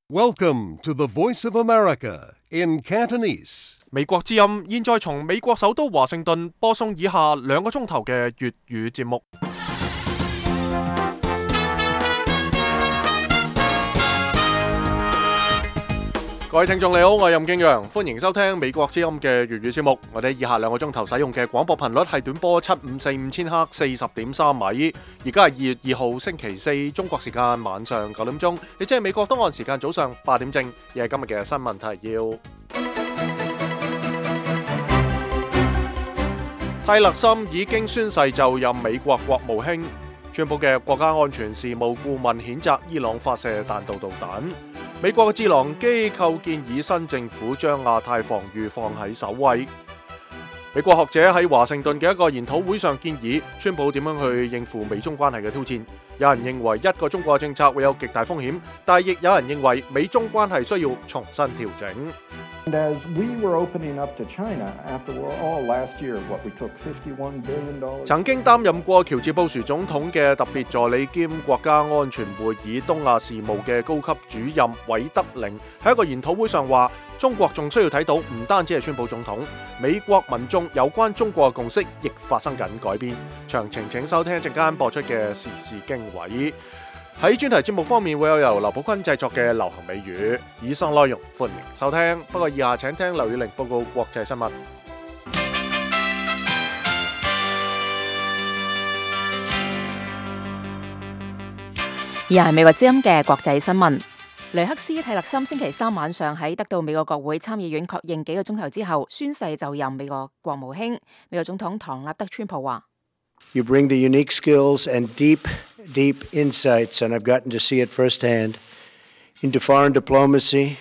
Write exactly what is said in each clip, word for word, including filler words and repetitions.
Welcome to the Voice of America in Cantonese. 美國之音現在從美國首都華盛頓播送以下兩個鐘頭嘅粵語節目。各位聽眾你好，我係任敬陽，歡迎收聽美國之音嘅粵語節目。我哋以下兩個鐘頭使用嘅廣播頻率係短波七五四五千赫四十點三米。而家係二月二號星期四，中國時間晚上九點鐘，亦即係美國東岸時間早上八點正。亦係今日嘅新聞提要。泰勒森已經宣誓就任美國國務卿。川普嘅國家安全事務顧問譴責伊朗發射彈道導彈。美國嘅智囊機構建議新政府將亞太防禦放喺首位。美國學者喺華盛頓嘅一個研討會上建議，川普點樣去應付美中關係嘅挑戰。有人認為一個中國政策會有極大風險，但亦有人認為美中關係需要重新調整。And as we were opening up to China after all last year, what we took fifty-one billion dollars. 曾經擔任過喬治布殊總統嘅特別助理兼國家安全會議東亞事務嘅高級主任韋德寧喺一個研討會上話，中國仲需要睇到唔單止係川普總統，美國民眾有關中國嘅共識亦發生緊改變。詳情請收聽一陣間播出嘅時事經緯。喺專題節目方面會有由劉寶坤製作嘅流行美語，以上內容歡迎收聽。不過以下請聽劉宇玲報告國際新聞。以下係美國之音嘅國際新聞。雷克斯泰勒森星期三晚上喺得到美國國會參議院確認幾個鐘頭之後宣誓就任美國國務卿。美國總統唐納德川普話：You bring the unique skills and deep, deep insights, and I've gotten to see it firsthand, into foreign diplomacy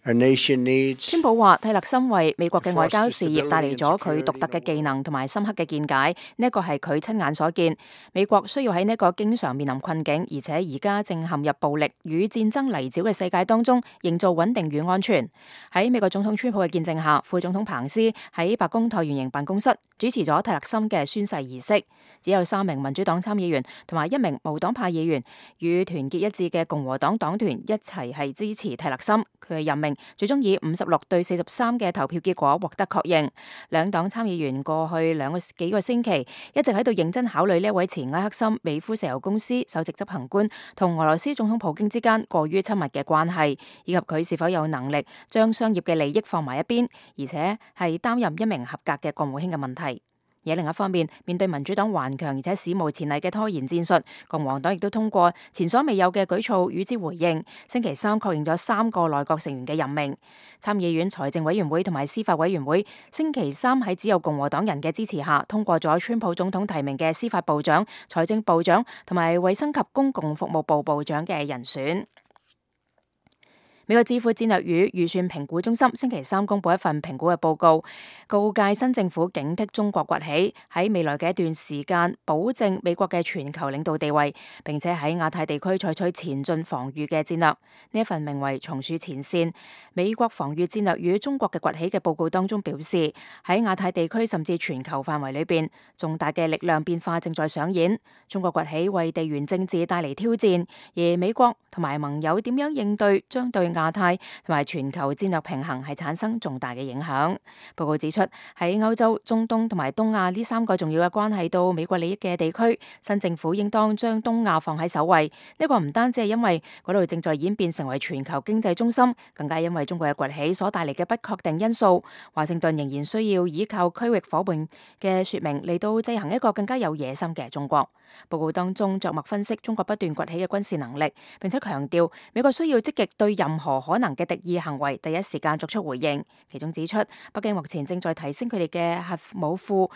our nation needs. 川普話：泰勒森為美國嘅外交事業帶嚟咗佢獨特嘅技能同埋深刻嘅見解，呢一個係佢親眼所見。美國需要喺呢一個經常面臨困境，而且而家正陷入暴力與戰爭泥沼嘅世界當中，營造穩定與安全。喺美國總統川普嘅見證下，副總統彭斯喺白宮橢圓形辦公室主持咗泰勒森嘅宣誓儀式。只有三名民主黨參議員同埋一名無黨派議員與團結一致嘅共和黨黨團一齊係支持泰勒森。佢嘅任命最終以五十六對四十三嘅投票結果獲得確認。兩黨參議員過去兩個幾個星期一直喺度認真考慮呢一位前埃克森美孚石油公司首席執行官同俄羅斯總統普京之間過於親密嘅關係，以及佢是否有能力將商業嘅利益放埋一邊，而且係擔任一名合格嘅國務卿嘅問題。而另一方面，面對民主黨頑強而且史無前例嘅拖延戰術，共和黨亦都通過前所未有嘅舉措與之回應。星期三確認咗三個內閣成員嘅任命。參議院財政委員會同埋司法委員會星期三喺只有共和黨人嘅支持下，通過咗川普總統提名嘅司法部長、財政部長同埋衛生及公共服務部部長嘅人選。美國智庫戰略與預算評估中心星期三公布一份評估嘅報告，告誡新政府警惕中國崛起，喺未來嘅一段時間保證美國嘅全球領導地位，並且喺亞太地區採取前進防禦嘅戰略。呢一份名為《松鼠前線：美國防禦戰略與中國嘅崛起》嘅報告當中表示，喺亞太地區甚至全球範圍裏邊，重大嘅力量變化正在上演。中國崛起為地緣政治帶嚟挑戰，而美國同埋盟友點樣應對，將對亞太同埋全球戰略平衡係產生重大嘅影響。報告指出，喺歐洲、中東同埋東亞呢三個重要嘅關係到美國利益嘅地區，新政府應當將東亞放喺首位。呢個唔單止係因為嗰度正在演變成為全球經濟中心，更加因為中國嘅崛起所帶嚟嘅不確定因素。華盛頓仍然需要依靠區域夥伴嘅說明嚟到制衡一個更加有野心嘅中國。報告當中着墨分析中國不斷崛起嘅軍事能力，並且強調美國需要積極對任何可能嘅敵意行為第一時間作出回應。其中指出，北京目前正在提升佢哋嘅核武庫，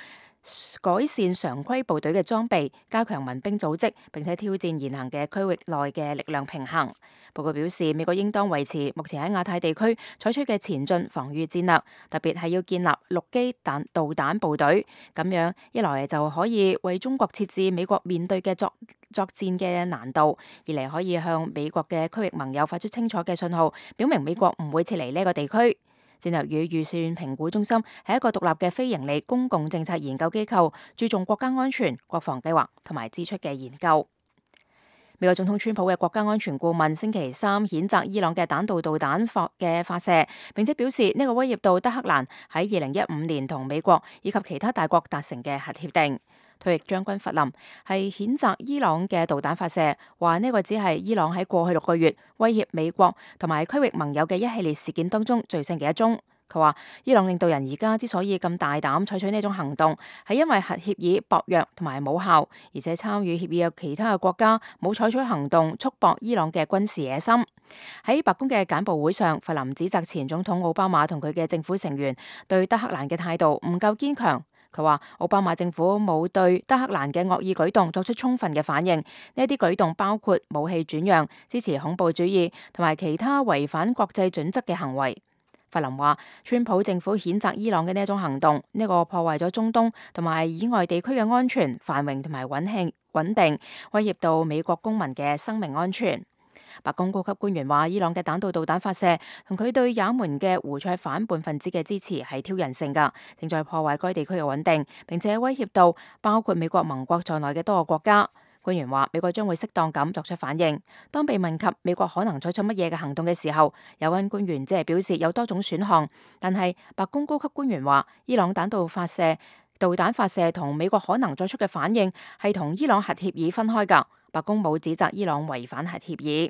改善常規部隊嘅裝備，加強民兵組織，並且挑戰現行嘅區域內嘅力量平衡。報告表示，美國應當維持目前喺亞太地區採取嘅前進防禦戰略，特別係要建立陸基彈導彈部隊，咁樣一來就可以為中國設置美國面對嘅作作戰嘅難度，二嚟可以向美國嘅區域盟友發出清楚嘅信號，表明美國唔會撤離呢個地區。戰略與預算評估中心係一個獨立嘅非營利公共政策研究機構，注重國家安全、國防計劃同埋支出嘅研究。美國總統川普嘅國家安全顧問星期三譴責伊朗嘅彈道導彈發嘅發射，並且表示呢個威脅到德黑蘭喺二零一五年同美國以及其他大國達成嘅核協定。退役將軍弗林係譴責伊朗嘅導彈發射，話呢個只係伊朗喺過去六個月威脅美國同埋區域盟友嘅一系列事件當中最新嘅一宗。佢話伊朗領導人而家之所以咁大膽採取呢種行動，係因為核協議薄弱同埋冇效，而且參與協議嘅其他嘅國家冇採取行動束縛伊朗嘅軍事野心。喺白宮嘅簡報會上，弗林指責前總統奧巴馬同佢嘅政府成員對德黑蘭嘅態度唔夠堅強。佢話奧巴馬政府冇對德黑蘭嘅惡意舉動作出充分嘅反應，呢啲舉動包括武器轉讓、支持恐怖主義同埋其他違反國際準則嘅行為。弗林話，川普政府譴責伊朗嘅呢一種行動，呢個破壞咗中東同埋以外地區嘅安全、繁榮同埋穩慶穩定，威脅到美國公民嘅生命安全。白宮高級官員話，伊朗嘅彈道導彈發射同佢對也門嘅胡塞反叛分子嘅支持係挑釁性㗎，正在破壞該地區嘅穩定，並且威脅到包括美國盟國在內嘅多個國家。官員話，美國將會適當咁作出反應。當被問及美國可能採取乜嘢嘅行動嘅時候，有關官員只係表示有多種選項，但係白宮高級官員話，伊朗彈道發射導彈發射同美國可能作出嘅反應係同伊朗核協議分開㗎。白宮冇指責伊朗違反核協議。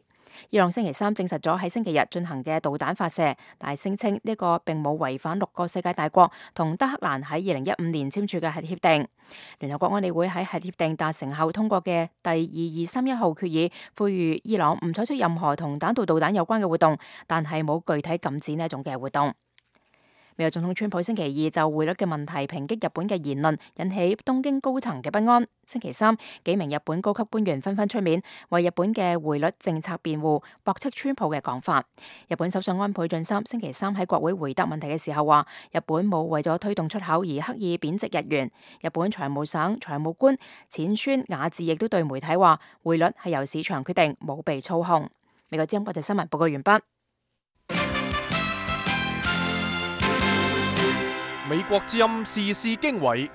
伊朗星期三證實咗喺星期日進行嘅導彈發射，但係聲稱呢個並冇違反六個世界大國同德黑蘭喺二零一五年簽署嘅核協定。聯合國安理會喺核協定達成後通過嘅第二二三一號決議，呼籲伊朗唔採取任何同彈道導彈有關嘅活動，但係冇具體禁止呢一種嘅活動。美國總統川普星期二就匯率嘅問題抨擊日本嘅言論，引起東京高層嘅不安。星期三，幾名日本高級官員紛紛出面為日本嘅匯率政策辯護，駁斥川普嘅講法。日本首相安倍晉三星期三喺國會回答問題嘅時候話，日本冇為咗推動出口而刻意貶值日元。日本財務省財務官淺川雅治亦都對媒體話，匯率係由市場決定，冇被操控。美國之音國際新聞報告完畢。美國之音時事經緯，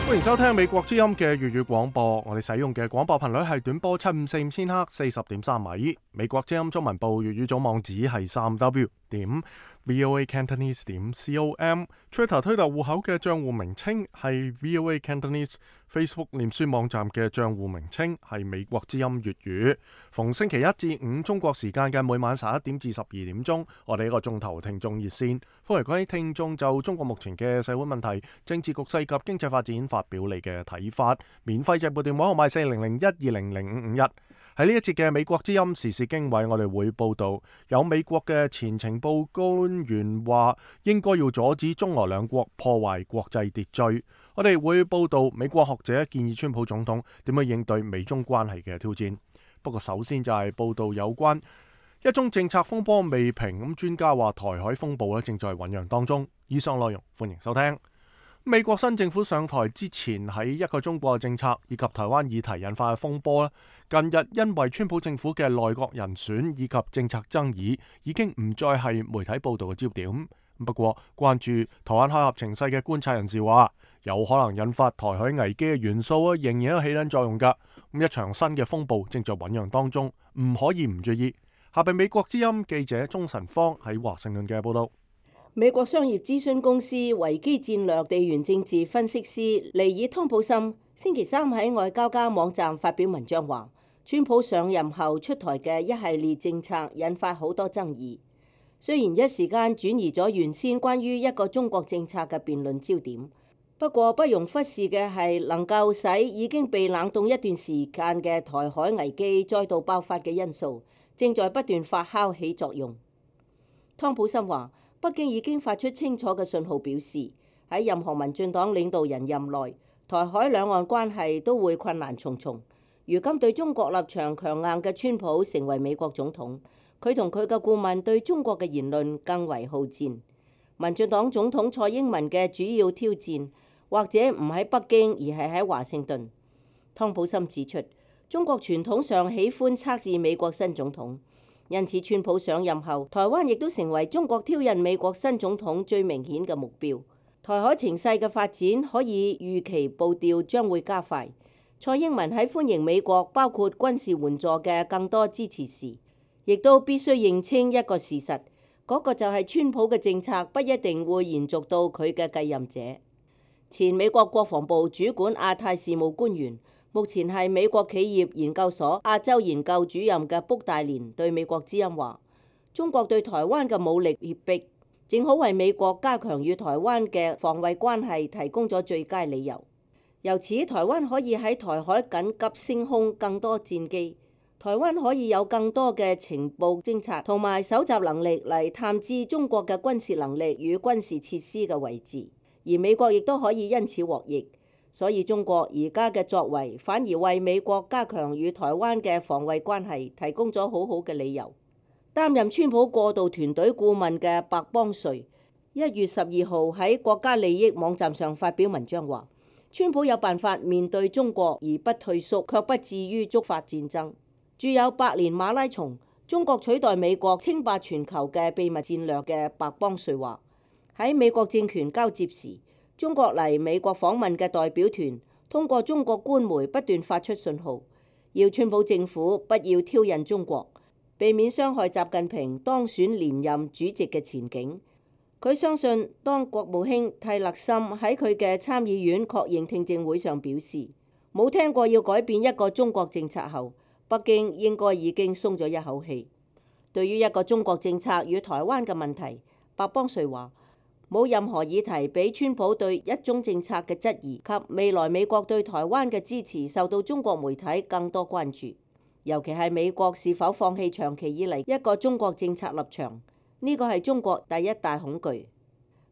歡迎收聽美國之音嘅粵語廣播。我哋使用嘅廣播頻率係短波七五四五千赫四十點三米。美國之音中文部粵語總網址係三 w 點 voa cantonese 點 com。Twitter 推特戶口嘅賬戶名稱係 voa cantonese。Facebook 臉書網站嘅賬戶名稱係美國之音粵語。逢星期一至五中國時間嘅每晚十一點至十二點鐘，我哋一個鐘頭聽眾熱線，歡迎各位聽眾就中國目前嘅社會問題、政治局勢及經濟發展發表你嘅睇法。免費直撥電話號碼四零零一二零零五五一。喺呢一節嘅美國之音時事經緯，我哋會報道有美國嘅前情報官員話應該要阻止中俄兩國破壞國際秩序。我哋會報道美國學者建議川普總統點樣應對美中關係嘅挑戰。不過首先就係報道有關一宗政策風波未平，咁專家話台海風暴咧正在醞釀當中。以上內容歡迎收聽。美國新政府上台之前，喺一個中國嘅政策以及台灣議題引發嘅風波咧，近日因為川普政府嘅內閣人選以及政策爭議，已經唔再係媒體報道嘅焦點。不過關注台灣海峽情勢嘅觀察人士話，有可能引發台海危機嘅元素啊，仍然有起緊作用噶。咁一場新嘅風暴正在醞釀當中，唔可以唔注意。下邊美國之音記者鍾晨芳喺華盛頓嘅報道。美國商業諮詢公司維基戰略地緣政治分析師尼爾湯普森星期三喺外交家網站發表文章話，川普上任後出台嘅一系列政策引發好多爭議。雖然一時間轉移咗原先關於一個中國政策嘅辯論焦點，不過不容忽視嘅係能夠使已經被冷凍一段時間嘅台海危機再度爆發嘅因素，正在不斷發酵起作用。湯普森話，北京已經發出清楚嘅信號，表示喺任何民進黨領導人任內，台海兩岸關係都會困難重重。如今對中國立場強硬嘅川普成為美國總統，佢同佢嘅顧問對中國嘅言論更為好戰。民進黨總統蔡英文嘅主要挑戰，或者唔喺北京，而係喺華盛頓。湯普森指出，中國傳統上喜歡測試美國新總統。因此，川普上任後，台灣亦都成為中國挑釁美國新總統最明顯嘅目標。台海情勢嘅發展可以預期步調將會加快。蔡英文喺歡迎美國包括軍事援助嘅更多支持時，亦都必須認清一個事實，嗰個就係川普嘅政策不一定會延續到佢嘅繼任者。前美國國防部主管亞太事務官員，目前係美國企業研究所亞洲研究主任嘅卜大連對美國之音話：中國對台灣嘅武力脅迫，正好為美國加強與台灣嘅防衛關係提供咗最佳理由。由此，台灣可以喺台海緊急升空更多戰機，台灣可以有更多嘅情報偵察同埋搜集能力嚟探知中國嘅軍事能力與軍事設施嘅位置，而美國亦都可以因此獲益。所以中國而家嘅作為反而為美國加強與台灣嘅防衛關係提供咗好好嘅理由。擔任川普過渡團隊顧問嘅白邦瑞一月十二號喺國家利益網站上發表文章話：川普有辦法面對中國而不退縮，卻不至於觸發戰爭。著有《百年馬拉松：中國取代美國稱霸全球嘅秘密戰略》嘅白邦瑞話：喺美國政權交接時，中國嚟美國訪問嘅代表團通過中國官媒不斷發出信號，要川普政府不要挑釁中國，避免傷害習近平當選連任主席嘅前景。佢相信，當國務卿蒂勒森喺佢嘅參議院確認聽證會上表示冇聽過要改變一個中國政策後，北京應該已經鬆咗一口氣。對於一個中國政策與台灣嘅問題，白邦瑞話：冇任何議題比川普對一中政策嘅質疑及未來美國對台灣嘅支持受到中國媒體更多關注，尤其係美國是否放棄長期以嚟一個中國政策立場，呢個係中國第一大恐懼。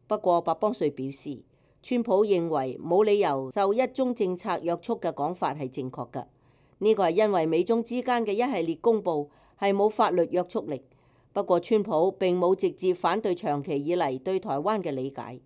不過白邦瑞表示，川普認為冇理由受一中政策約束嘅講法係正確嘅，呢個係因為美中之間嘅一系列公報係冇法律約束力。不過，川普並冇直接反對長期以嚟對台灣嘅理解。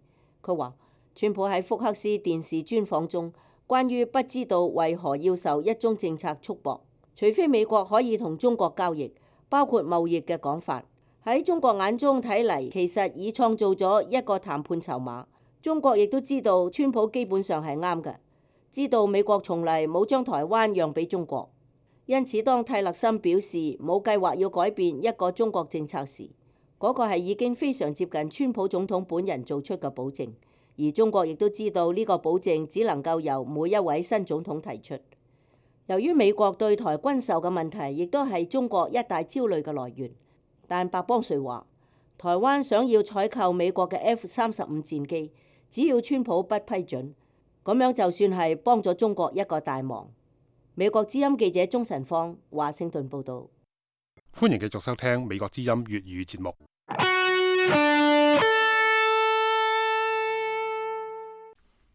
佢話，川普喺福克斯電視專訪中，關於不知道為何要受一中政策束縛，除非美國可以同中國交易，包括貿易嘅講法，喺中國眼中睇嚟，其實已創造咗一個談判籌碼。中國亦都知道，川普基本上係啱嘅，知道美國從嚟冇將台灣讓俾中國。因此，當蒂勒森表示冇計劃要改變一個中國政策時，嗰個係已經非常接近川普總統本人做出嘅保證，而中國亦都知道呢個保證只能夠由每一位新總統提出。由於美國對台軍售嘅問題，亦都係中國一大焦慮嘅來源。但白邦瑞話，台灣想要採購美國嘅 F 三十五戰機，只要川普不批准，咁樣就算係幫咗中國一個大忙。美國之音記者鍾晨芳，華盛頓報道。歡迎繼續收聽美國之音粵語節目。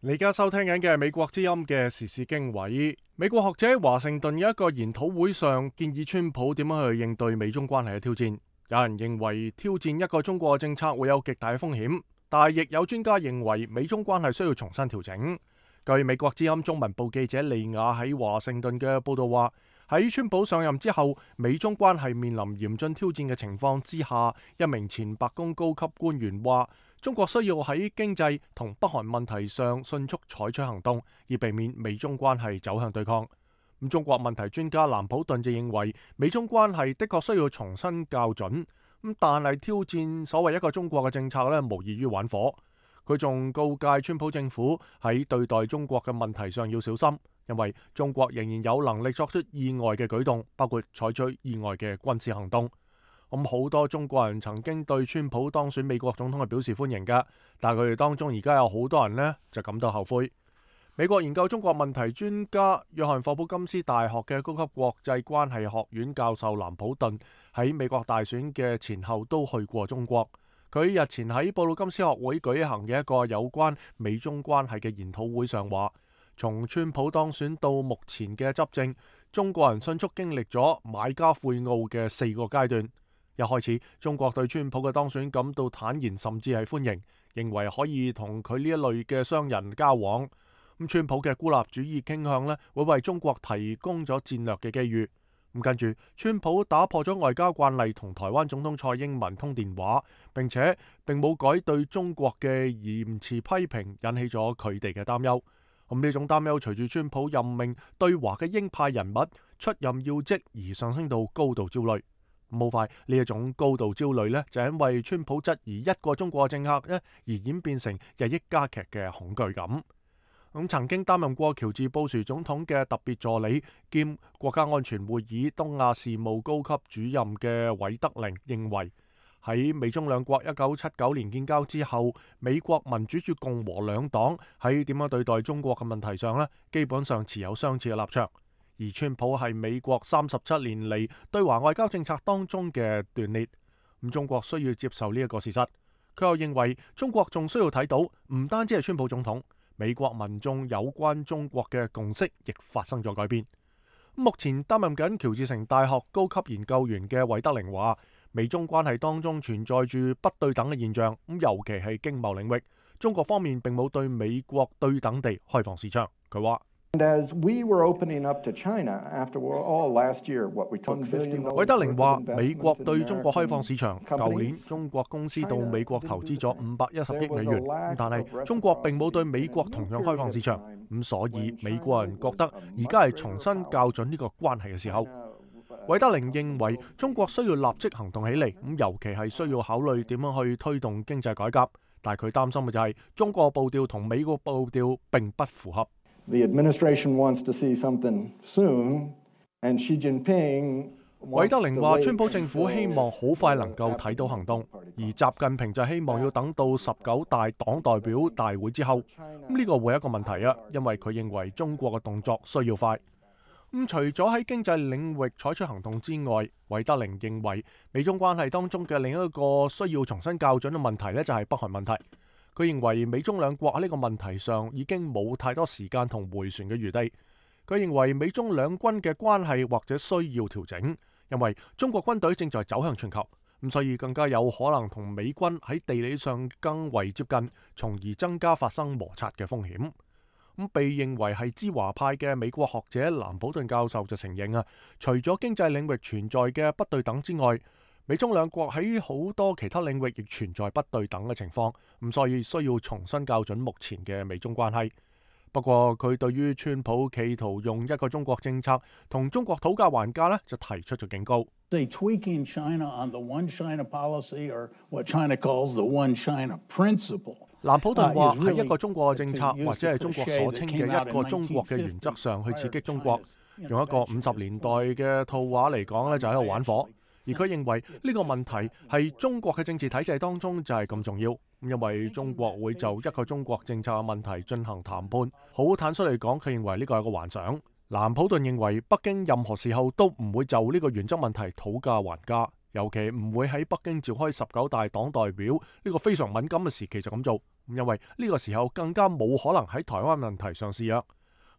你而家收聽緊嘅係美國之音嘅時事經緯。美國學者喺華盛頓有一個研討會上建議川普點樣去應對美中關係嘅挑戰。有人認為挑戰一個中國嘅政策會有極大嘅風險，但係亦有專家認為美中關係需要重新調整。據美國之音中文部記者利亞喺華盛頓嘅報道話，喺川普上任之後，美中關係面臨嚴峻挑戰嘅情況之下，一名前白宮高級官員話，中國需要喺經濟同北韓問題上迅速採取行動，以避免美中關係走向對抗。咁中國問題專家蘭普頓就認為，美中關係的確需要重新校準，咁但係挑戰所謂一個中國嘅政策咧，無異於玩火。佢仲告誡川普政府喺對待中國嘅問題上要小心，因為中國仍然有能力作出意外嘅舉動，包括採取意外嘅軍事行動。咁好多中國人曾經對川普當選美國總統係表示歡迎㗎，但係佢哋當中而家有好多人呢就感到後悔。美國研究中國問題專家約翰霍普金斯大學嘅高級國際關係學院教授蘭普頓喺美國大選嘅前後都去過中國。佢日前喺布魯金斯學會舉行嘅一個有關美中關係嘅研討會上話，從川普當選到目前嘅執政，中國人迅速經歷咗買家悔懊嘅四個階段。一開始，中國對川普嘅當選感到坦然，甚至係歡迎，認為可以同佢呢一類嘅商人交往。咁川普嘅孤立主義傾向呢，會為中國提供咗戰略嘅機遇。咁跟住，川普打破咗外交慣例，同台灣總統蔡英文通電話，並且並冇改對中國嘅嚴詞批評，引起咗佢哋嘅擔憂。咁呢種擔憂隨住川普任命對華嘅鷹派人物出任要職而上升到高度焦慮。咁好快呢一種高度焦慮呢，就因為川普質疑一個中國政策呢而演變成日益加劇嘅恐懼感。咁曾經擔任過喬治布殊總統嘅特別助理兼國家安全會議東亞事務高級主任嘅韋德寧認為，喺美中兩國一九七九年建交之後，美國民主與共和兩黨喺點樣對待中國嘅問題上呢，基本上持有相似嘅立場。而川普係美國三十七年嚟對華外交政策當中嘅斷裂，咁中國需要接受呢一個事實。佢又認為中國仲需要睇到，唔單止係川普總統，美國民眾有關中國嘅共識亦發生咗改變。目前擔任緊喬治城大學高級研究員嘅韋德寧話，美中關係當中存在住不對等嘅現象，咁尤其係經貿領域，中國方面並冇對美國對等地開放市場。佢話。韋德寧話：美國對中國開放市場，舊年中國公司到美國投資咗五百一十億美元，但係中國並冇對美國同樣開放市場，咁所以美國人覺得而家係重新校準呢個關係嘅時候。韋德寧認為中國需要立即行動起嚟，咁尤其係需要考慮點樣去推動經濟改革，但係佢擔心嘅就係中國步調同美國步調並不符合。The administration wants to see something soon, and Xi Jinping 韋德寧話：川普政府希望好快能夠睇到行動，而習近平就希望要等到十九大黨代表大會之後。咁呢個會係一個問題啊，因為佢認為中國嘅動作需要快。咁除咗喺經濟領域採取行動之外，韋德寧認為美中關係當中嘅另一個需要重新校準嘅問題呢，就係北韓問題。佢認為美中兩國喺呢個問題上已經冇太多時間同迴旋嘅餘地。佢認為美中兩軍嘅關係或者需要調整，因為中國軍隊正在走向全球，咁所以更加有可能同美軍喺地理上更為接近，從而增加發生摩擦嘅風險。咁被認為係知華派嘅美國學者蘭普頓教授就承認啊，除咗經濟領域存在嘅不對等之外，美中兩國喺好多其他領域亦存在不對等嘅情況，咁所以需要重新校準目前嘅美中關係。不過佢對於川普企圖用一個中國政策同中國討價還價呢，就提出咗警告。蘭普頓話喺一個中國嘅政策或者係中國所稱嘅一個中國嘅原則上去刺激中國，用一個五十年代嘅套話嚟講呢，就喺度玩火。而佢認為呢個問題係中國嘅政治體制當中就係咁重要，因為中國會就一個中國政策嘅問題進行談判。好坦率嚟講，佢認為呢個係個幻想。蘭普頓認為北京任何時候都唔會就呢個原則問題討價還價，尤其唔會喺北京召開十九大黨代表呢個非常敏感嘅時期就咁做，因為呢個時候更加冇可能喺台灣問題上示弱。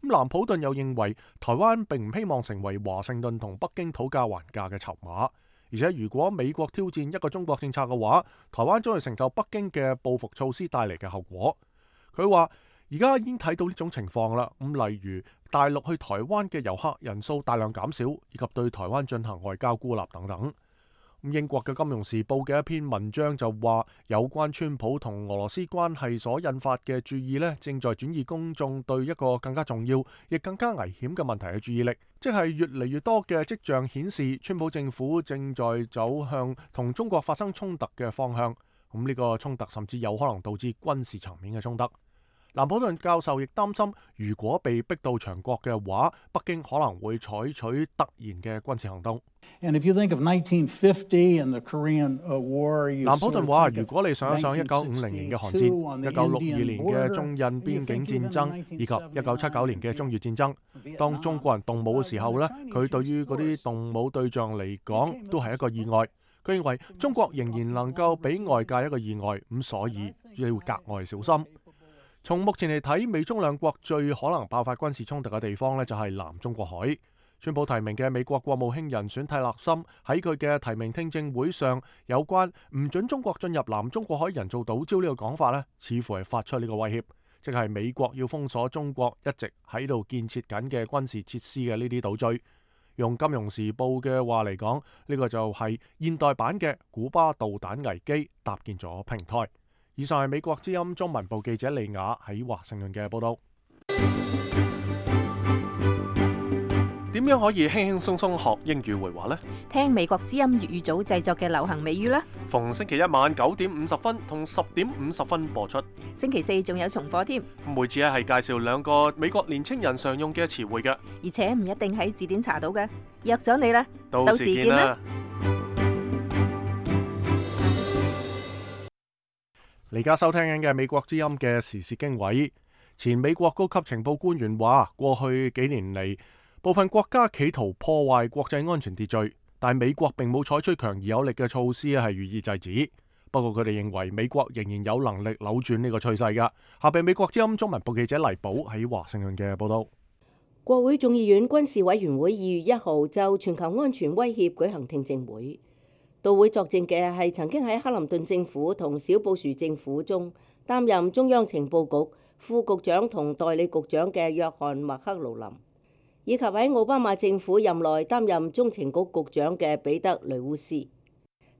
咁蘭普頓又認為台灣並唔希望成為華盛頓同北京討價還價嘅籌碼。而且如果美國挑戰一個中國政策嘅話，台灣將會承受北京嘅報復措施帶嚟嘅後果。佢話而家已經睇到呢種情況啦，咁例如大陸去台灣嘅遊客人數大量減少，以及對台灣進行外交孤立等等。英國嘅《金融時報》嘅一篇文章就話，有關川普同俄羅斯關係所引發嘅注意呢，正在轉移公眾對一個更加重要亦更加危險嘅問題嘅注意力，即係越嚟越多嘅跡象顯示，川普政府正在走向同中國發生衝突嘅方向。咁呢個衝突甚至有可能導致軍事層面嘅衝突。蘭普頓教授亦擔心，如果被逼到牆角嘅話，北京可能會採取突然嘅軍事行動。蘭普頓話：如果你想一想一九五零年嘅韓戰、一九六二年嘅中印邊境戰爭以及一九七九年嘅中越戰爭，當中國人動武嘅時候呢，佢對於嗰啲動武對象嚟講都係一個意外。佢認為中國仍然能夠俾外界一個意外，咁所以要格外小心。從目前嚟睇，美中兩國最可能爆發軍事衝突嘅地方呢，就係南中國海。川普提名嘅美國國務卿人選蒂勒森喺佢嘅提名聽證會上，有關唔准中國進入南中國海人造島礁呢個講法呢，似乎係發出呢個威脅，即係美國要封鎖中國一直喺度建設緊嘅軍事設施嘅呢啲島嶼。用金融時報嘅話嚟講，呢個就係現代版嘅古巴導彈危機搭建咗平台。以上係美國之音中文部記者利雅喺華盛頓嘅報道。點樣可以輕輕鬆鬆學英語會話呢？聽美國之音粵語組製作嘅流行美語啦。逢星期一晚九點五十分同十點五十分播出。星期四仲有重播添。每次咧係介紹兩個美國年青人常用嘅詞彙嘅，而且唔一定喺字典查到嘅。約咗你啦，到時見啦。你而家收聽緊嘅美國之音嘅時事經緯。前美國高級情報官員話，過去幾年嚟，部分國家企圖破壞國際安全秩序，但美國並冇採取強而有力嘅措施係予以制止。不過佢哋認為美國仍然有能力扭轉呢個趨勢㗎。下邊美國之音中文部記者黎寶喺華盛頓嘅報道。國會眾議院軍事委員會二月一號就全球安全威脅舉行聽證會。到會作證嘅係曾經喺克林頓政府同小布殊政府中擔任中央情報局副局長同代理局長嘅約翰麥克勞林，以及喺奧巴馬政府任內擔任中情局局長嘅彼得雷烏斯。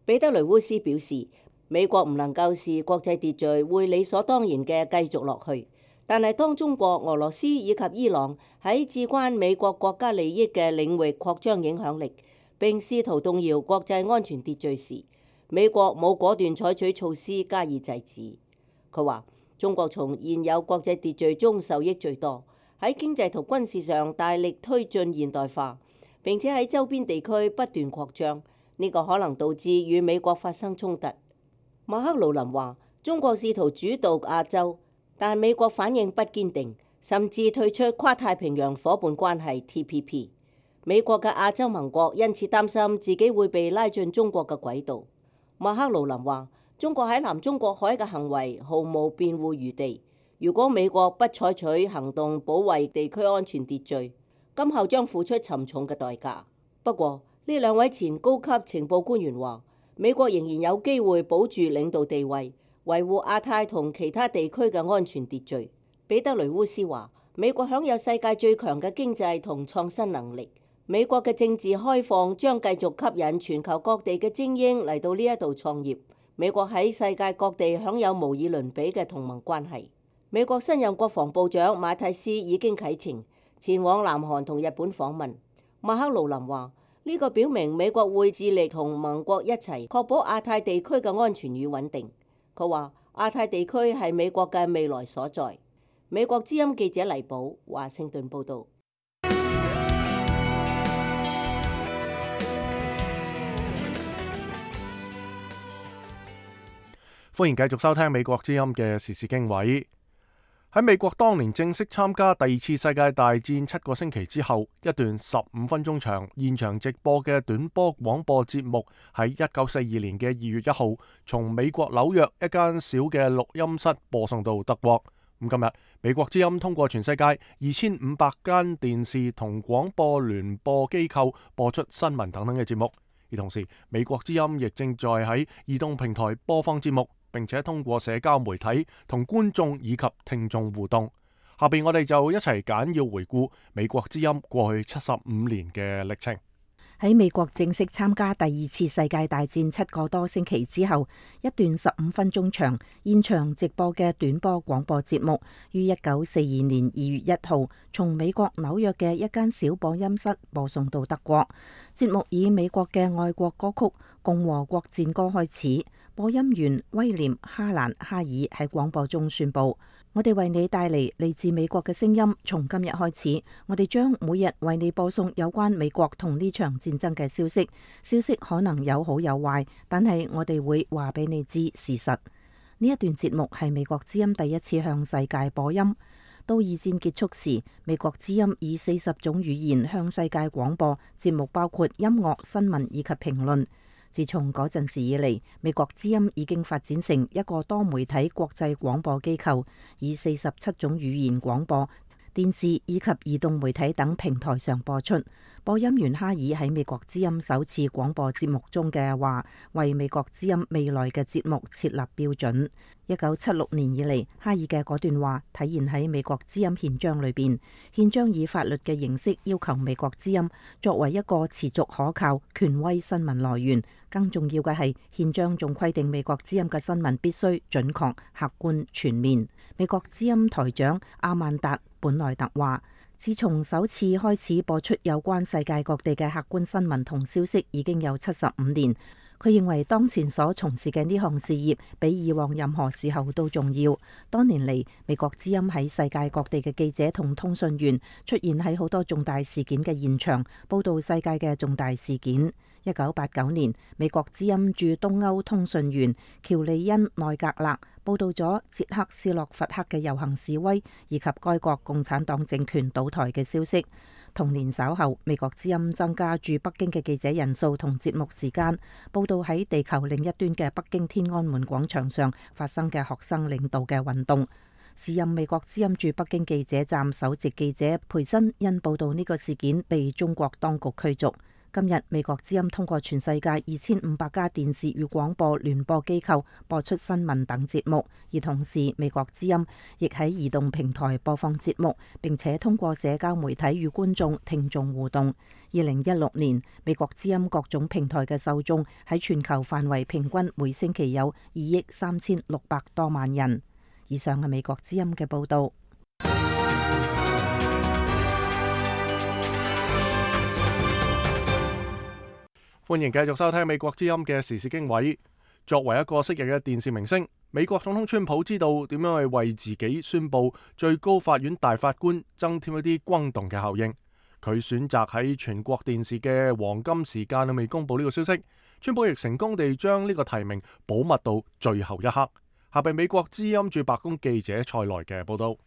彼得雷烏斯表示，美國唔能夠視國際秩序會理所當然嘅繼續落去，但係當中國、俄羅斯以及伊朗喺至關美國國家利益嘅領域擴張影響力，並試圖動搖國際安全秩序時，美國冇果斷採取措施加以制止。佢話，中國從現有國際秩序中受益最多，喺經濟同軍事上大力推進現代化，並且喺周邊地區不斷擴張，呢個可能導致與美國發生衝突。馬克魯林話，中國試圖主導亞洲，但美國反應不堅定，甚至退出跨太平洋夥伴關係 T P P。美國嘅亞洲盟國因此擔心自己會被拉進中國嘅軌道。馬克魯林話，中國喺南中國海嘅行為毫無辯護餘地。如果美國不採取行動保衛地區安全秩序，今後將付出沉重嘅代價。不過，呢兩位前高級情報官員話，美國仍然有機會保住領導地位，維護亞太同其他地區嘅安全秩序。彼得雷烏斯話，美國享有世界最強嘅經濟同創新能力，美國嘅政治開放將繼續吸引全球各地嘅精英嚟到呢一度創業。美國喺世界各地享有無以倫比嘅同盟關係。美國新任國防部長馬蒂斯已經啟程前往南韓同日本訪問。馬克魯林話，呢個表明美國會致力同盟國一齊確保亞太地區嘅安全與穩定。佢話，亞太地區係美國嘅未來所在。美國之音記者黎寶，華盛頓報導。歡迎繼續收聽美國之音嘅時事經緯。喺美國當年正式參加第二次世界大戰七個星期之後，一段十五分鐘長現場直播嘅短波廣播節目喺一九四二年嘅二月一號，從美國紐約一間小嘅錄音室播送到德國。咁今日美國之音通過全世界二千五百間電視同廣播聯播機構播出新聞等等嘅節目，而同時美國之音亦正在喺移動平台播放節目，並且通過社交媒體同觀眾以及聽眾互動。下邊我哋就一齊簡要回顧美國之音過去七十五年嘅歷程。喺美國正式參加第二次世界大戰七個多星期之後，一段十五分鐘長現場直播嘅短波廣播節目，於一九四二年二月一號從美國紐約嘅一間小播音室播送到德國。節目以美國嘅愛國歌曲《共和國戰歌》開始，播音員威廉哈蘭哈爾喺廣播中宣布：我哋為你帶嚟嚟自美國嘅聲音，從今日開始，我哋將每日為你播送有關美國同呢場戰爭嘅消息。消息可能有好有壞，但係我哋會話俾你知事實。呢一段節目係美國之音第一次向世界播音。到二戰結束時，美國之音以四十種語言向世界廣播，節目包括音樂、新聞以及評論。自從嗰陣時以嚟，美國之音已經發展成一個多媒體國際廣播機構，以四十七種語言廣播、電視以及移動媒體等平台上播出。播音員哈爾喺美國之音首次廣播節目中嘅話，為美國之音未來嘅節目設立標準。一九七六年以嚟，哈爾嘅嗰段話體現喺美國之音憲章裏邊。憲章以法律嘅形式要求美國之音作為一個持續可靠、權威新聞來源。更重要嘅係，憲章仲規定美國之音嘅新聞必須準確、客觀、全面。美國之音台長阿曼達本萊特話，自從首次開始播出有關世界各地嘅客觀新聞同消息，已經有七十五年。佢認為當前所從事嘅呢項事業比以往任何時候都重要。多年嚟，美國之音喺世界各地嘅記者同通訊員出現喺好多重大事件嘅現場，報道世界嘅重大事件。一九八九年，美國之音駐東歐通訊員喬利恩內格勒報道咗捷克斯洛伐克嘅遊行示威，以及該國共產黨政權倒台嘅消息。同年稍後，美國之音增加駐北京嘅記者人數同節目時間，報道喺地球另一端嘅北京天安門廣場上發生嘅學生領導嘅運動。時任美國之音駐北京記者站首席記者培真因報道呢個事件被中國當局驅逐。今日美國之音通過全世界二千五百家電視與廣播聯播機構播出新聞等節目，而同時美國之音亦喺移動平台播放節目，並且通過社交媒體與觀眾聽眾互動。二零一六年，美國之音各種平台嘅受眾喺全球範圍平均每星期有二億三千六百多萬人。以上係美國之音嘅報道。歡迎繼續收聽美國之音嘅時事經緯。作為一個昔日嘅電視明星，美國總統川普知道點樣去為自己宣布最高法院大法官增添一啲轟動嘅效應。佢選擇喺全國電視嘅黃金時間裏面公布呢個消息。川普亦成功地將呢個提名保密到最後一刻。下邊美國之音駐白宮記者蔡來嘅報道。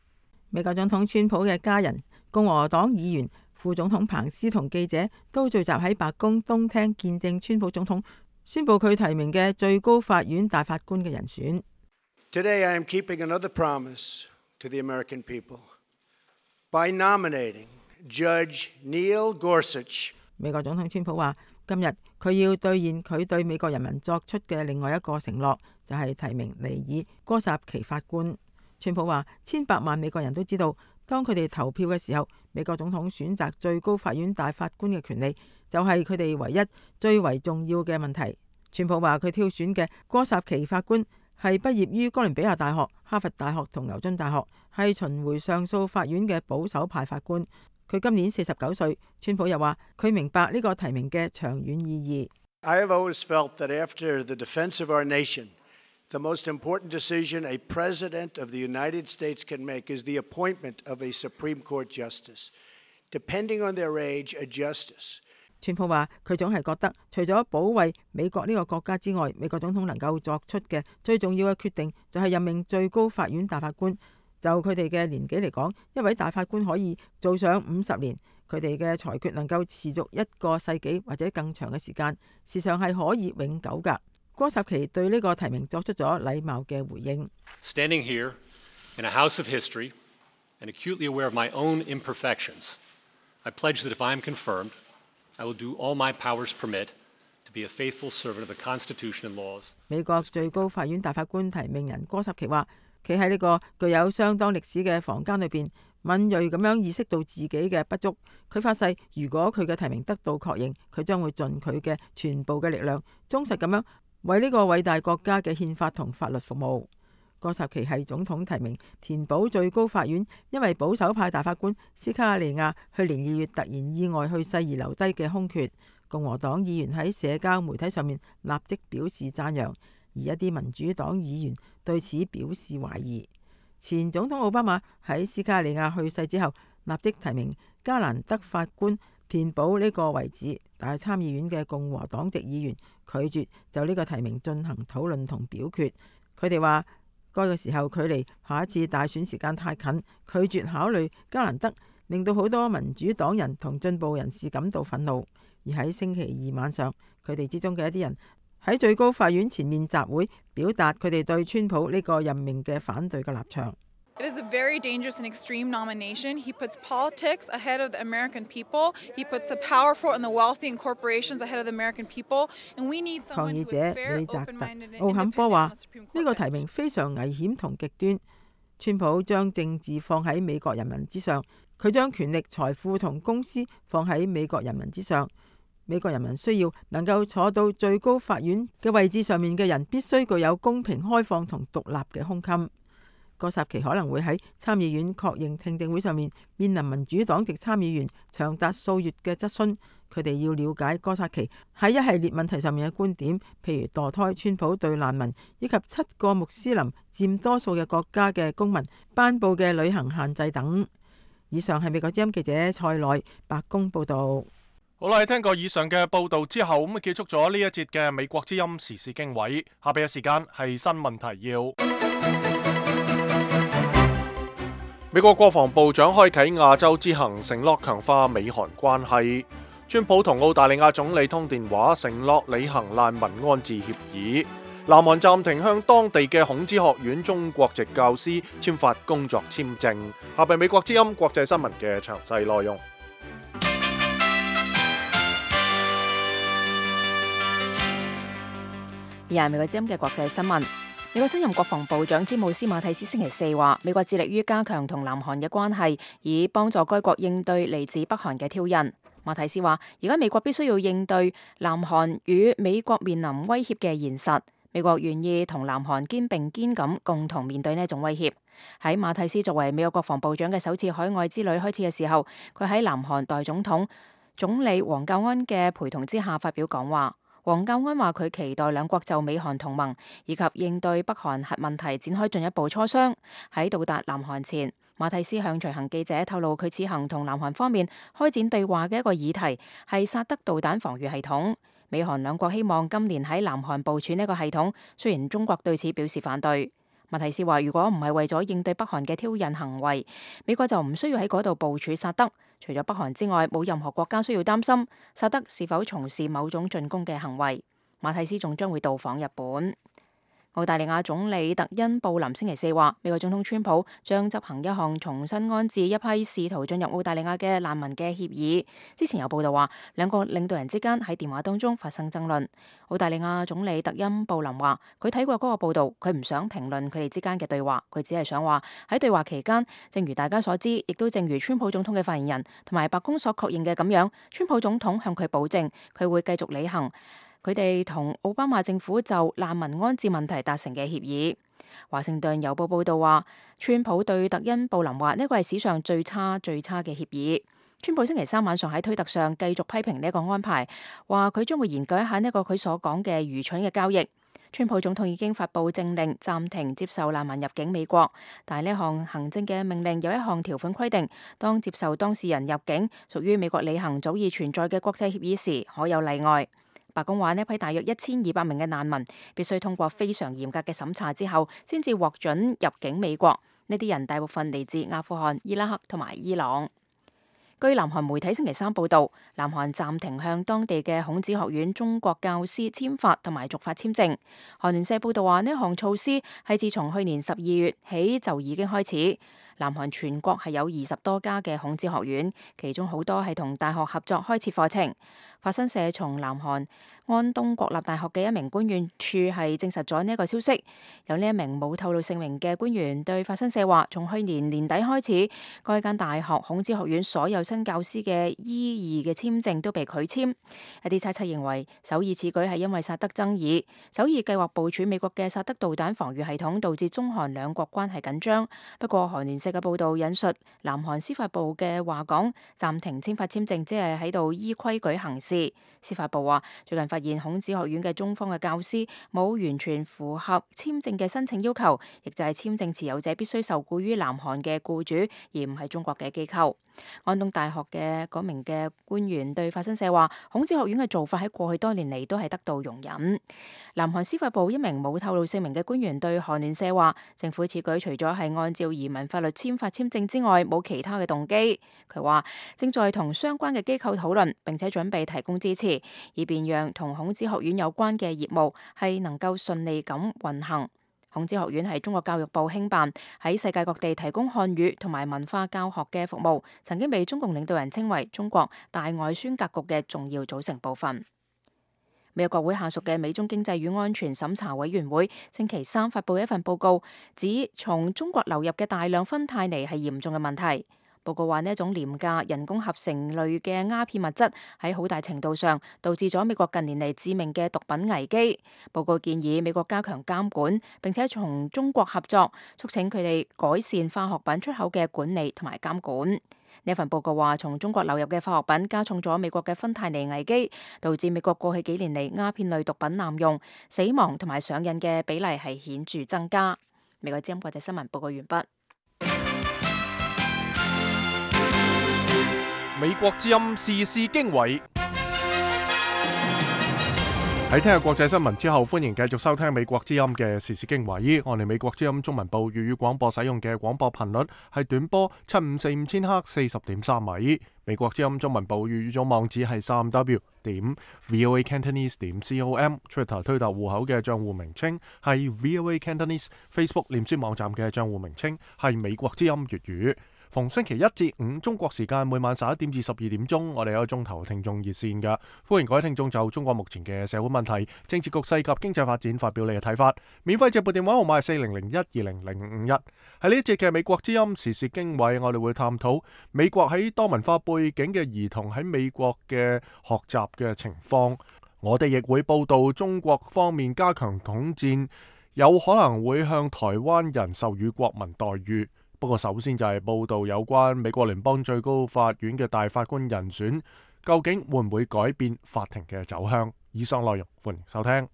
美國總統川普嘅家人、共和黨議員、副總統彭斯同記者都聚集喺白宮東廳見證川普總統宣布佢提名嘅最高法院大法官嘅人選。Today I am keeping another promise to the American people by nominating Judge Neil Gorsuch。美國總統川普話，今日佢要兌現佢對美國人民作出嘅另外一個承諾，就係提名尼爾戈薩奇法官。川普話，千百萬美國人都知道，當佢哋投票嘅時候，美國總統選擇最高法院大法官嘅權利就係佢哋唯一最為重要嘅問題。川普話佢挑選嘅戈薩奇法官係畢業於哥倫比亞大學、哈佛大學同牛津大學，係巡迴上訴法院嘅保守派法官。佢今年四十九歲。川普又話佢明白呢個提名嘅長遠意義。I have always felt that after the defense of our nation, the most important decision a president of the United States can make is the appointment of a Supreme Court justice. Depending on their age, a justice. 川普話佢總係覺得，除咗保衛美國呢個國家之外，美國總統能夠作出嘅最重要嘅決定就係任命最高法院大法官。就佢哋嘅年紀嚟講，一位大法官可以做上五十年，佢哋嘅裁決能夠持續一個世紀或者更長嘅時間，事實上係可以永久㗎。戈薩奇對呢個提名作出咗禮貌嘅回應。Standing here in a house of history and acutely aware of my own imperfections, I pledge that if I am confirmed, I will do all my powers permit to be a faithful servant of the Constitution and laws. 美國最高法院大法官提名人戈薩奇話，企喺呢個具有相當歷史嘅房間裏邊，敏銳咁樣意識到自己嘅不足。佢發誓，如果佢嘅提名得到確認，佢將會盡佢嘅全部嘅力量，忠實咁樣為呢個偉大國家嘅憲法同法律服務。戈薩奇係總統提名，填補最高法院因為保守派大法官斯卡利亞去年二月突然意外去世而留低嘅空缺。共和黨議員喺社交媒體上面立即表示讚揚，而一啲民主黨議員對此表示懷疑。前總統奧巴馬喺斯卡利亞去世之後，立即提名加蘭德法官填補呢個位置，但係參議院嘅共和黨籍議員拒絕就呢個提名進行討論同表決。佢哋話該個時候距離下一次大選時間太近，拒絕考慮加蘭德，令到好多民主黨人同進步人士感到憤怒。而喺星期二晚上，佢哋之中嘅一啲人喺最高法院前面集會，表達佢哋對川普呢個任命嘅反對嘅立場。It is a very dangerous and extreme nomination. He puts politics ahead of the American people. He puts the powerful and the wealthy and corporations ahead of the American people. And we need 抗 someone 議 who 者 is fair, 李澤特 open-minded, and 奧坎波 independent 話 on the Supreme 呢個 Court 提 bench. 名非常危險同極端。川普將政治放喺美國人民之上，佢將權力、財富同公司放喺美國人民之上。美國人民需要能夠坐到最高法院嘅位置上面嘅人，必須具有公平、開放同獨立嘅胸襟。戈薩奇可能會喺參議院確認聽證會上面面臨民主黨籍參議員長達數月嘅質詢，佢哋要了解戈薩奇喺一系列問題上面嘅觀點，譬如墮胎、川普對難民以及七個穆斯林佔多數嘅國家嘅公民頒布嘅旅行限制等。以上係美國之音記者蔡內白宮報導。好啦，聽過以上嘅報導之後，咁啊結束咗呢一節嘅美國之音時事經緯。下邊嘅時間係新聞提要。美國國防部長開啟亞洲之行，承諾強化美韓關係。川普同澳大利亞總理通電話，承諾履行難民安置協議。南韓暫停向當地嘅孔子學院中國籍教師簽發工作簽證。下邊美國之音國際新聞嘅詳細內容。而係美國之音嘅國際新聞。美國新任國防部長詹姆斯馬蒂斯星期四話，美國致力於加強同南韓嘅關係，以幫助該國應對嚟自北韓嘅挑釁。馬蒂斯話，而家美國必須要應對南韓與美國面臨威脅嘅現實，美國願意同南韓肩並肩咁共同面對呢一種威脅。喺馬蒂斯作為美國國防部長嘅首次海外之旅開始嘅時候，佢喺南韓代總統總理黃教安嘅陪同之下發表講話。黃教安話佢期待兩國就美韓同盟以及應對北韓核問題展開進一步磋商。喺到達南韓前，馬蒂斯向隨行記者透露，佢此行同南韓方面開展對話嘅一個議題係薩德導彈防禦系統。美韓兩國希望今年喺南韓部署呢個系統，雖然中國對此表示反對。馬蒂斯話，如果唔係為咗應對北韓嘅挑釁行為，美國就唔需要喺嗰度部署薩德。除咗北韓之外，冇任何國家需要擔心薩德是否從事某種進攻嘅行為。馬蒂斯仲將會到訪日本。澳大利亞總理特恩布林星期四話，美國總統川普將執行一項重新安置一批試圖進入澳大利亞嘅難民嘅協議。之前有報道話，兩個領導人之間喺電話當中發生爭論。澳大利亞總理特恩布林話，佢睇過嗰個報道，佢唔想評論佢哋之間嘅對話，佢只係想話喺對話期間，正如大家所知，亦都正如川普總統嘅發言人同埋白宮所確認嘅咁樣，川普總統向佢保證，佢會繼續履行佢哋同奧巴馬政府就難民安置問題達成嘅協議。華盛頓郵報報道話，川普對特恩布林話呢個係史上最差最差嘅協議。川普星期三晚上喺推特上繼續批評呢個安排，話佢將會研究一下呢個佢所講嘅愚蠢嘅交易。川普總統已經發布政令暫停接受難民入境美國，但係呢項行政嘅命令有一項條款規定，當接受當事人入境屬於美國履行早已存在嘅國際協議時，可有例外。白宮話呢批大約一千二百名嘅難民必須通過非常嚴格嘅審查之後，先至獲准入境美國。呢啲人大部分嚟自阿富汗、伊拉克同埋伊朗。據南韓媒體星期三報導，南韓暫停向當地嘅孔子學院中國教師簽發同埋續發簽證。韓聯社報導話，呢項措施係自從去年十二月起就已經開始。南韓全國係有二十多家嘅孔子學院，其中好多係同大學合作開設課程。法新社從南韓安東國立大學嘅一名官員處係證實咗呢一個消息。有呢一名冇透露姓名嘅官員對法新社話，從去年年底開始，該間大學孔子學院所有新教師嘅醫二嘅簽證都被拒簽。一啲猜測認為，首爾此舉係因為薩德爭議。首爾計劃部署美國嘅薩德導彈防禦系統，導致中韓兩國關係緊張。不過韓聯社嘅報導引述南韓司法部嘅話講，暫停簽發簽證只係喺度依規矩行事。司法部話，最近發現孔子學院嘅中方嘅教師冇完全符合簽證嘅申請要求，亦就係簽證持有者必須受僱於南韓嘅僱主，而唔係中國嘅機構。安東大學嘅嗰名嘅官員對法新社話，孔子學院嘅做法喺過去多年嚟都係得到容忍。南韓司法部一名冇透露姓名嘅官員對韓聯社話，政府此舉除咗係按照移民法律簽發簽證之外，冇其他嘅動機。佢話正在同相關嘅機構討論，並且準備提供支持，以便讓同孔子學院有關嘅業務係能夠順利咁運行。孔子學院係中國教育部興辦，喺世界各地提供漢語同埋文化教學嘅服務，曾經被中共領導人稱為中國大外宣格局嘅重要組成部分。美國國會下屬嘅美中經濟與安全審查委員會星期三發布一份報告，指從中國流入嘅大量芬太尼係嚴重嘅問題。報告話呢一種廉價人工合成類嘅鴉片物質喺好大程度上導致咗美國近年嚟致命嘅毒品危機。報告建議美國加強監管，並且從中國合作，促請佢哋改善化學品出口嘅管理同埋監管。呢份報告話，從中國流入嘅化學品加重咗美國嘅芬太尼危機，導致美國過去幾年嚟鴉片類毒品濫用、死亡同埋上癮嘅比例係顯著增加。美國之音國際新聞報告完畢。美國之音時事經緯。喺聽日國際新聞之後，歡迎繼續收聽美國之音嘅時事經緯。我哋美國之音中文部粵語廣播使用嘅廣播頻率係短波七五四五千赫四十點三米。美國之音中文部粵語組網址係三 w 點 voa cantonese 點 com。Twitter 推特戶口嘅賬戶名稱係 voa cantonese。Facebook 臉書網站嘅賬戶名稱係美國之音粵語。逢星期一至五中國時間每晚十一點至十二點鐘，我哋有一個鐘頭聽眾熱線㗎，歡迎各位聽眾就中國目前嘅社會問題、政治局勢及經濟發展發表你嘅睇法。免費直播電話號碼係四零零一二零零五一。喺呢一節嘅美國之音時事經緯，我哋會探討美國喺多文化背景嘅兒童喺美國嘅學習嘅情況。我哋亦會報道中國方面加強統戰，有可能會向台灣人授予國民待遇。不過首先就係報道有關美國聯邦最高法院嘅大法官人選，究竟會唔會改變法庭嘅走向？以上內容歡迎收聽。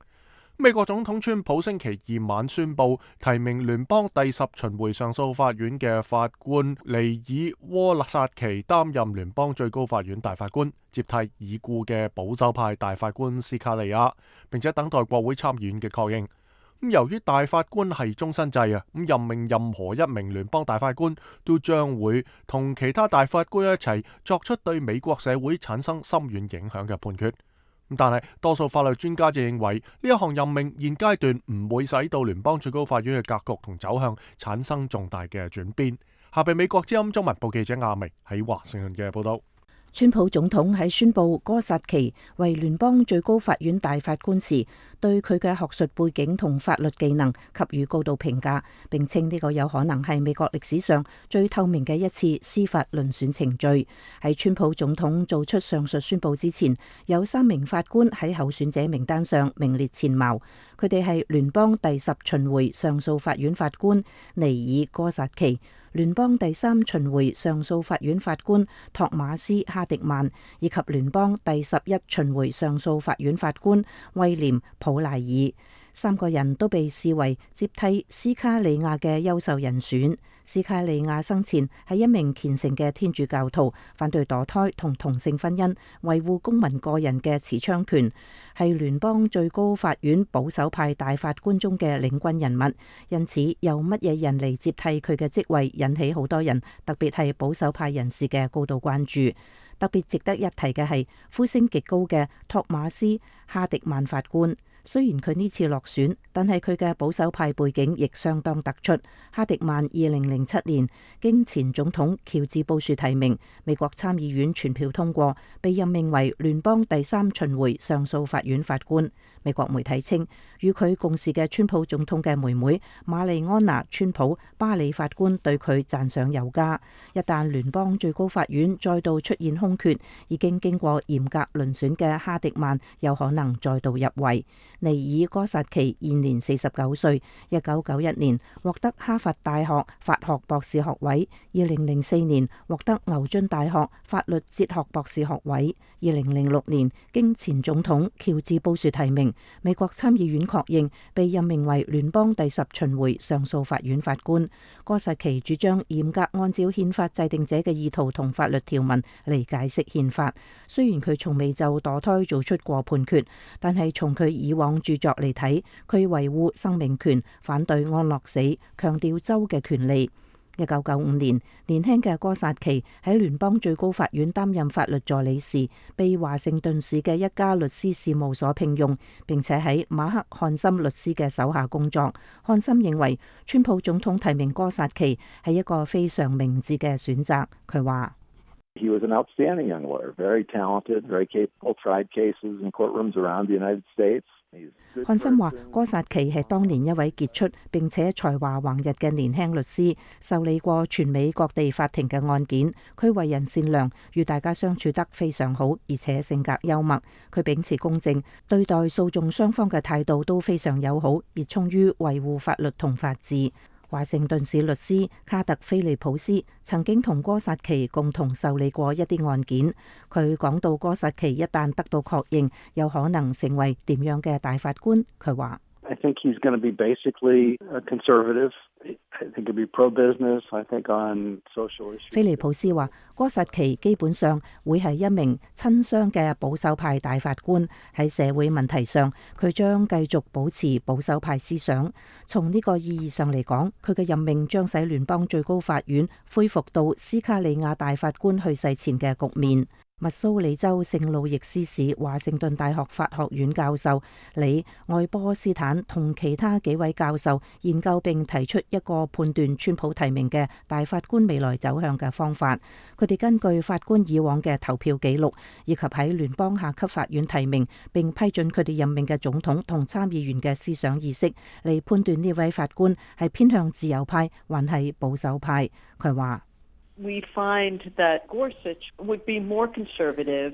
美國總統川普星期二晚宣布提名聯邦第十巡迴上訴法院嘅法官尼爾沃薩奇擔任聯邦最高法院大法官，接替已故嘅保守派大法官斯卡利亞，並且等待國會參議院嘅確認。由於大法官係終身制啊，咁任命任何一名聯邦大法官都將會同其他大法官一齊作出對美國社會產生深遠影響嘅判決。但係多數法律專家就認為呢一項任命現階段唔會使到聯邦最高法院嘅格局同走向產生重大嘅轉變。下邊美國之音中文部記者亞明喺華盛頓嘅報道。川普總統喺宣布哥薩奇為聯邦最高法院大法官時，對佢嘅學術背景同法律技能給予高度評價，並稱呢個有可能係美國歷史上最透明嘅一次司法遴選程序。喺川普總統做出上述宣布之前，有三名法官喺候選者名單上名列前茅，佢哋係聯邦第十巡迴上訴法院法官尼爾哥薩奇、聯邦第三巡迴上訴法院法官托馬斯哈迪曼，以及聯邦第十一巡迴上訴法院法官威廉普賴爾。三個人都被視為接替斯卡利亞嘅優秀人選。斯卡利亞生前係一名虔誠嘅天主教徒，反對墮胎同同性婚姻，維護公民個人嘅持槍權，係聯邦最高法院保守派大法官中嘅領軍人物。因此，由乜嘢人嚟接替佢嘅職位，引起好多人，特別係保守派人士嘅高度關注。特別值得一提嘅係呼聲極高嘅托馬斯哈迪曼法官。雖然佢呢次落選，但係佢嘅保守派背景亦相當突出。哈迪曼二零零七年經前總統喬治布殊提名，美國參議院全票通過，被任命為聯邦第三巡迴上訴法院法官。美國媒體稱，與佢共事嘅川普總統嘅妹妹瑪麗安娜川普巴里法官對佢讚賞有加。一旦聯邦最高法院再度出現空缺，已經經過嚴格遴選嘅哈迪曼有可能再度入圍。尼爾哥薩奇現年四十九歲，一九九一年獲得哈佛大學法學博士學位，二零零四年獲得牛津大學法律哲學博士學位，二零零六年經前總統喬治布殊提名，美國參議院確認，被任命為聯邦第十巡迴上訴法院法官。哥薩奇主張嚴格按照憲法制定者嘅意圖同法律條文嚟解釋憲法。雖然佢從未就墮胎做出過判決，但係從佢以往著作嚟睇，佢維護生命權，反對安樂死，強調州嘅權利。一九九五年，年輕嘅哥薩奇喺聯邦最高法院擔任法律助理時，被華盛頓市嘅一家律師事務所聘用，並且喺馬克漢森律師嘅手下工作。漢森認為川普總統提名哥薩奇係一個非常明智嘅選擇。佢話：He was an outstanding young lawyer, very talented, very capable, tried cases in courtrooms around the United States. 漢森話：哥薩奇係當年一位傑出並且才華橫溢嘅年輕律師，受理過全美各地法庭嘅案件。佢為人善良，與大家相處得非常好，而且性格幽默。佢秉持公正，對待訴訟雙方嘅態度都非常友好，熱衷於維護法律同法治。華盛頓市律師卡特菲利普斯曾經同哥薩奇共同受理過一啲案件。佢講到哥薩奇一旦得到確認，有可能成為點樣嘅大法官。佢話I think he's going to be basically a conservative. I think he'll be pro-business. I think on social issues. 菲利普斯話：哥薩奇基本上會係一名親商嘅保守派大法官。喺社會問題上，佢將繼續保持保守派思想。從呢個意義上嚟講，佢嘅任命將使聯邦最高法院恢復到斯卡利亞大法官去世前嘅局面。密蘇里州聖路易斯市華盛頓大學法學院教授李愛波斯坦同其他幾位教授研究並提出一個判斷川普提名嘅大法官未來走向嘅方法。佢哋根據法官以往嘅投票記錄，以及喺聯邦下級法院提名並批准佢哋任命嘅總統同參議員嘅思想意識，嚟判斷呢位法官係偏向自由派還係保守派。佢話We find that Gorsuch would be more conservative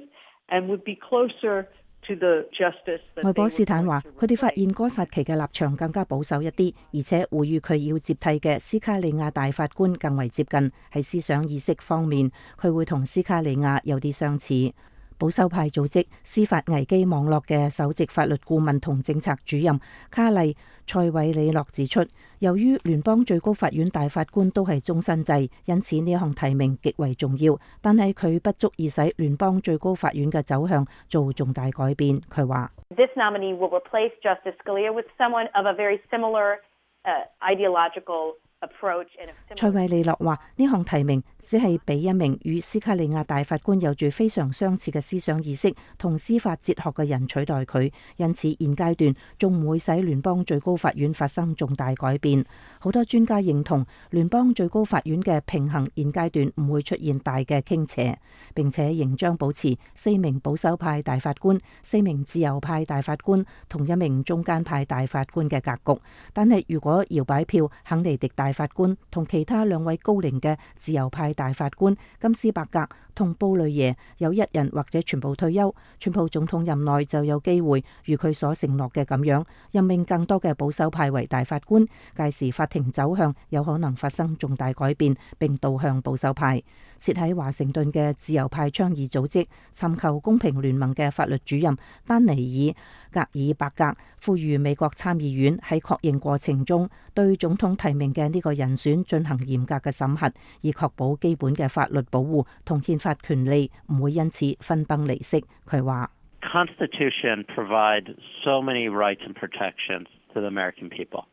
and would be closer to the justice. 愛波斯坦話：佢哋發現哥薩奇嘅立場更加保守一啲，而且會與佢要接替嘅斯卡利亞大法官更為接近。喺思想意識方面，佢會同斯卡利亞有啲相似。保守派組織司法危機網絡嘅首席法律顧問同政策主任卡麗塞韋里諾指出，由於聯邦最高法院大法官都係終身制，因此呢一項提名極為重要，但係佢不足以使聯邦最高法院嘅走向做重大改變。佢話：This nominee will replace Justice Scalia with someone of a very similar, uh, ideological approach. 塞韋利諾話：呢項提名只係俾一名與斯卡利亞大法官有住非常相似嘅思想意識同司法哲學嘅人取代佢，因此現階段仲唔會使聯邦最高法院發生重大改變。好多專家認同聯邦最高法院嘅平衡現階段唔會出現大嘅傾斜，並且仍將保持四名保守派大法官、四名自由派大法官同一名中間派大法官嘅格局。但係如果搖擺票肯尼迪大法官同其他兩位高齡嘅自由派大法官金斯伯格同布雷耶有一人或者全部退休，川普總統任內就有機會如佢所承諾嘅咁樣任命更多嘅保守派為大法官，屆時法庭走向有可能發生重大改變，並導向保守派。設喺華盛頓嘅自由派倡議組織尋求公平聯盟嘅法律主任丹尼爾格爾伯格呼籲美國參議院喺確認過程中對總統提名嘅呢個人選進行嚴格嘅審核，以確保基本嘅法律保護同憲法權利唔會因此分崩離析。佢話 Constitution provides so many rights and protections to the American people.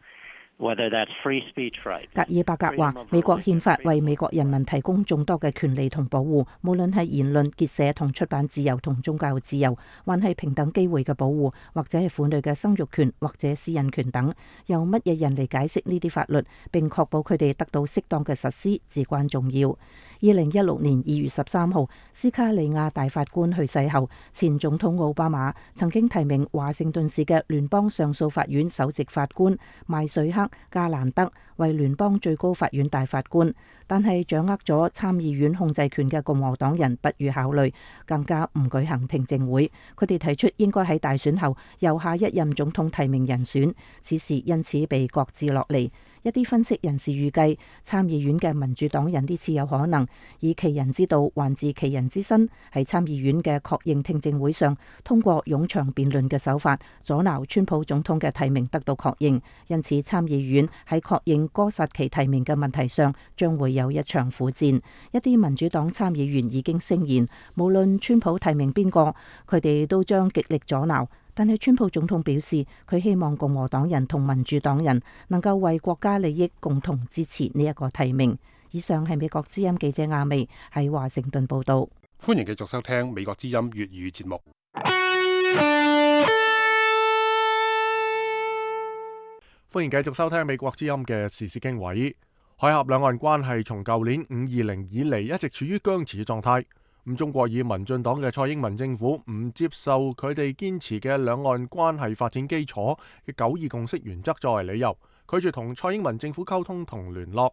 Whether that's free speech right. 格爾伯格話：美國憲法為美國人民提供眾多嘅權利同保護，無論係言論、結社同出版自由同宗教自由，還係平等機會嘅保護，或者係婦女嘅生育權或者私隱權等，由乜嘢人嚟解釋呢啲法律，並確保佢哋得到適當嘅實施，至關重要。二零一六年二月十三號，斯卡利亞大法官去世後，前總統奧巴馬曾經提名華盛頓市嘅聯邦上訴法院首席法官邁瑞克加蘭德為聯邦最高法院大法官，但係掌握咗參議院控制權嘅共和黨人不予考慮，更加唔舉行聽證會。佢哋提出應該喺大選後由下一任總統提名人選，此事因此被擱置落嚟。一啲分析人士預計，參議院嘅民主黨人呢次有可能以其人之道還治其人之身，喺參議院嘅確認聽證會上，通過冗長辯論嘅手法，阻撓川普總統嘅提名得到確認。因此，參議院喺確認哥薩奇提名嘅問題上，將會有一場苦戰。一啲民主黨參議員已經聲言，無論川普提名邊個，佢哋都將極力阻撓。但係川普總統表示，佢希望共和黨人同民主黨人能夠為國家利益共同支持呢一個提名。以上係美國之音記者亞薇喺華盛頓報道。歡迎繼續收聽美國之音粵語節目。歡迎繼續收聽美國之音嘅時事經緯。海峽兩岸關係從舊年五二零以嚟一直處於僵持嘅狀態。咁中國以民進黨嘅蔡英文政府唔接受佢哋堅持嘅兩岸關係發展基礎嘅九二共識原則作為理由，拒絕同蔡英文政府溝通同聯絡。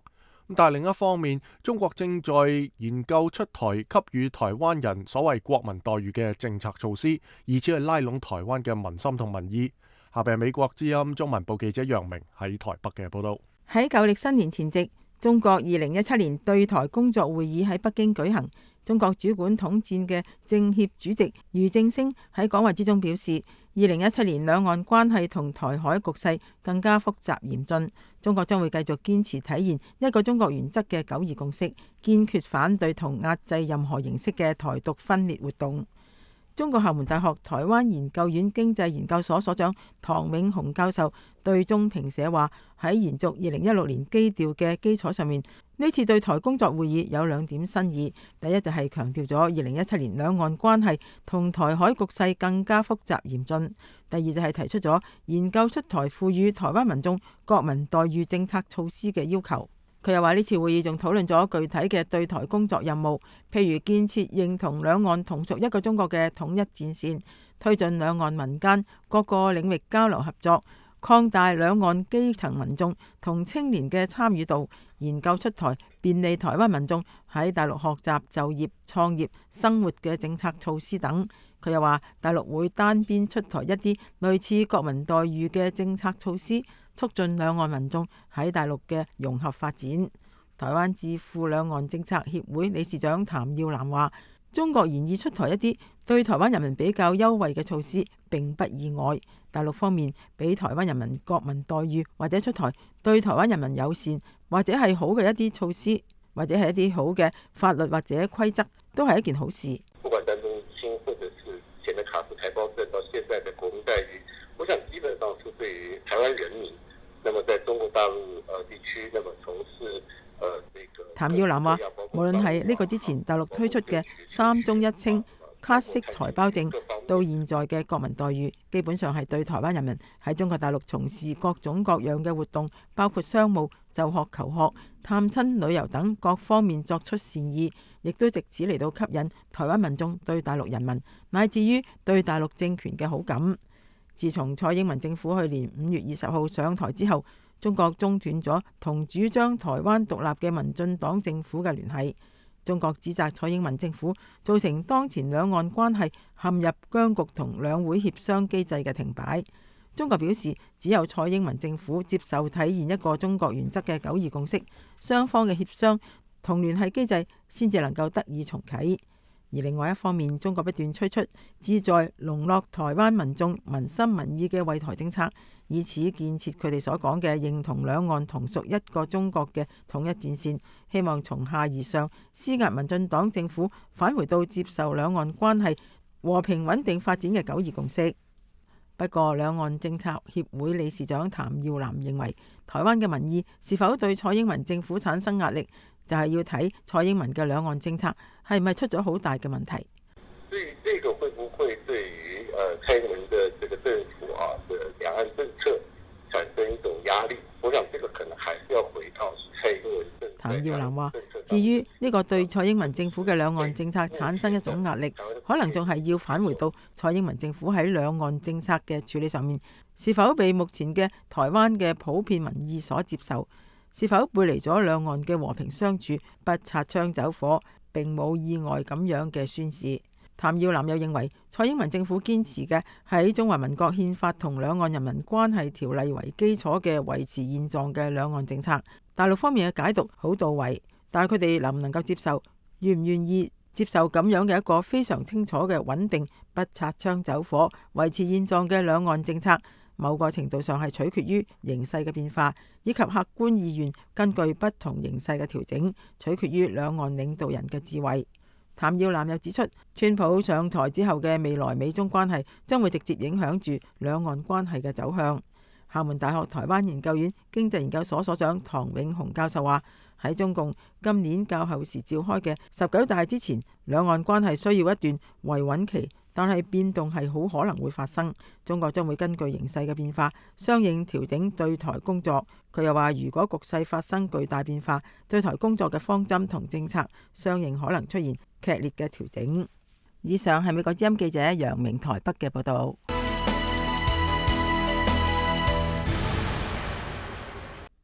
但係另一方面，中國正在研究出台給予台灣人所謂國民待遇嘅政策措施，以此去拉攏台灣嘅民心同民意。下邊係美國之音中文部記者楊明喺台北嘅報道。喺舊曆新年前夕，中國二零一七年對台工作會議喺北京舉行。中國主管統戰嘅政協主席俞正聲喺講話之中表示，二零一七年兩岸關係同台海局勢更加複雜嚴峻，中國將會繼續堅持體現一個中國原則嘅九二共識，堅決反對同壓制任何形式嘅台獨分裂活動。中國廈門大學台灣研究院經濟研究所所長唐永雄教授對中評社話：喺延續二零一六年基調嘅基礎上面，呢次對台工作會議有兩點新意。第一就係強調咗二零一七年兩岸關係同台海局勢更加複雜嚴峻。第二就係提出咗研究出台賦予台灣民眾國民待遇政策措施嘅要求。佢又話呢次會議仲討論咗具體嘅對台工作任務，譬如建設認同兩岸同屬一個中國嘅統一戰線，推進兩岸民間各個領域交流合作，擴大兩岸基層民眾同青年嘅參與度，研究出台便利台灣民眾喺大陸學習、就業、創業、生活嘅政策措施等。佢又話大陸會單邊出台一啲類似國民待遇嘅政策措施，促進兩岸民眾喺大陸嘅融合發展。台灣智庫兩岸政策協會理事長譚耀南話：中國現已出台一啲對台灣人民比較優惠嘅措施，並不意外。大陸方面俾台灣人民國民待遇，或者出台對台灣人民友善或者係好嘅一啲措施，或者係一啲好嘅法律或者規則，都係一件好事。不管單中心或者是前的卡夫台胞證到現在的國民待遇，我想基本上是對於台灣人民，那麼在中國大陸呃地區，那麼從事呃這個。譚耀南話：無論係呢個之前大陸推出嘅三中一清卡式台胞證，到現在嘅國民待遇，基本上係對台灣人民喺中國大陸從事各種各樣嘅活動，包括商務、就學、求學、探親、旅遊等各方面作出善意，亦都藉此嚟到吸引台灣民眾對大陸人民乃至於對大陸政權嘅好感。自從蔡英文政府去年五月二十號上台之後，中國中斷咗同主張台灣獨立嘅民進黨政府嘅聯繫。中國指責蔡英文政府造成當前兩岸關係陷入僵局同兩會協商機制嘅停擺。中國表示，只有蔡英文政府接受體現一個中國原則嘅九二共識，雙方嘅協商同聯繫機制先至能夠得以重啟。而另外一方面，中國不斷推出旨在籠絡台灣民眾民心民意嘅惠台政策，以此建設佢哋所講嘅認同兩岸同屬一個中國嘅統一戰線，希望從下而上施壓民進黨政府返回到接受兩岸關係和平穩定發展嘅九二共識。不過，兩岸政策協會理事長譚耀南認為，台灣嘅民意是否對蔡英文政府產生壓力，就係要睇蔡英文嘅兩岸政策係咪出咗好大嘅問題。所以，這個會不會對於誒蔡英文的這個政府啊的兩岸政策產生一種壓力？我想，這個可能還是要回到蔡英文政府。譚耀南話：至於呢個對蔡英文政府嘅兩岸政策產生一種壓力，可能仲係要返回到蔡英文政府喺兩岸政策嘅處理上面，是否被目前嘅台灣嘅普遍民意所接受？是否背離咗兩岸嘅和平相處、不擦槍走火，並冇意外咁樣嘅宣示？譚耀南又認為，蔡英文政府堅持嘅喺中華民國憲法同兩岸人民關係條例為基礎嘅維持現狀嘅兩岸政策，大陸方面嘅解讀好到位，但係佢哋能唔能夠接受，願唔願意接受咁樣嘅一個非常清楚嘅穩定、不擦槍走火、維持現狀嘅兩岸政策，某個程度上係取決於形勢嘅變化，以及客觀意願根據不同形勢嘅調整，取決於兩岸領導人嘅智慧。譚耀南又指出，川普上台之後嘅未來美中關係將會直接影響住兩岸關係嘅走向。廈門大學台灣研究院經濟研究所所長唐永雄教授話：喺中共今年較後時召開嘅十九大之前，兩岸關係需要一段維穩期，但係變動係好可能會發生。中國將會根據形勢嘅變化，相應調整對台工作。佢又話：如果局勢發生巨大變化，對台工作嘅方針同政策相應可能出現劇烈嘅調整。以上係美國之音記者楊明台北嘅報道。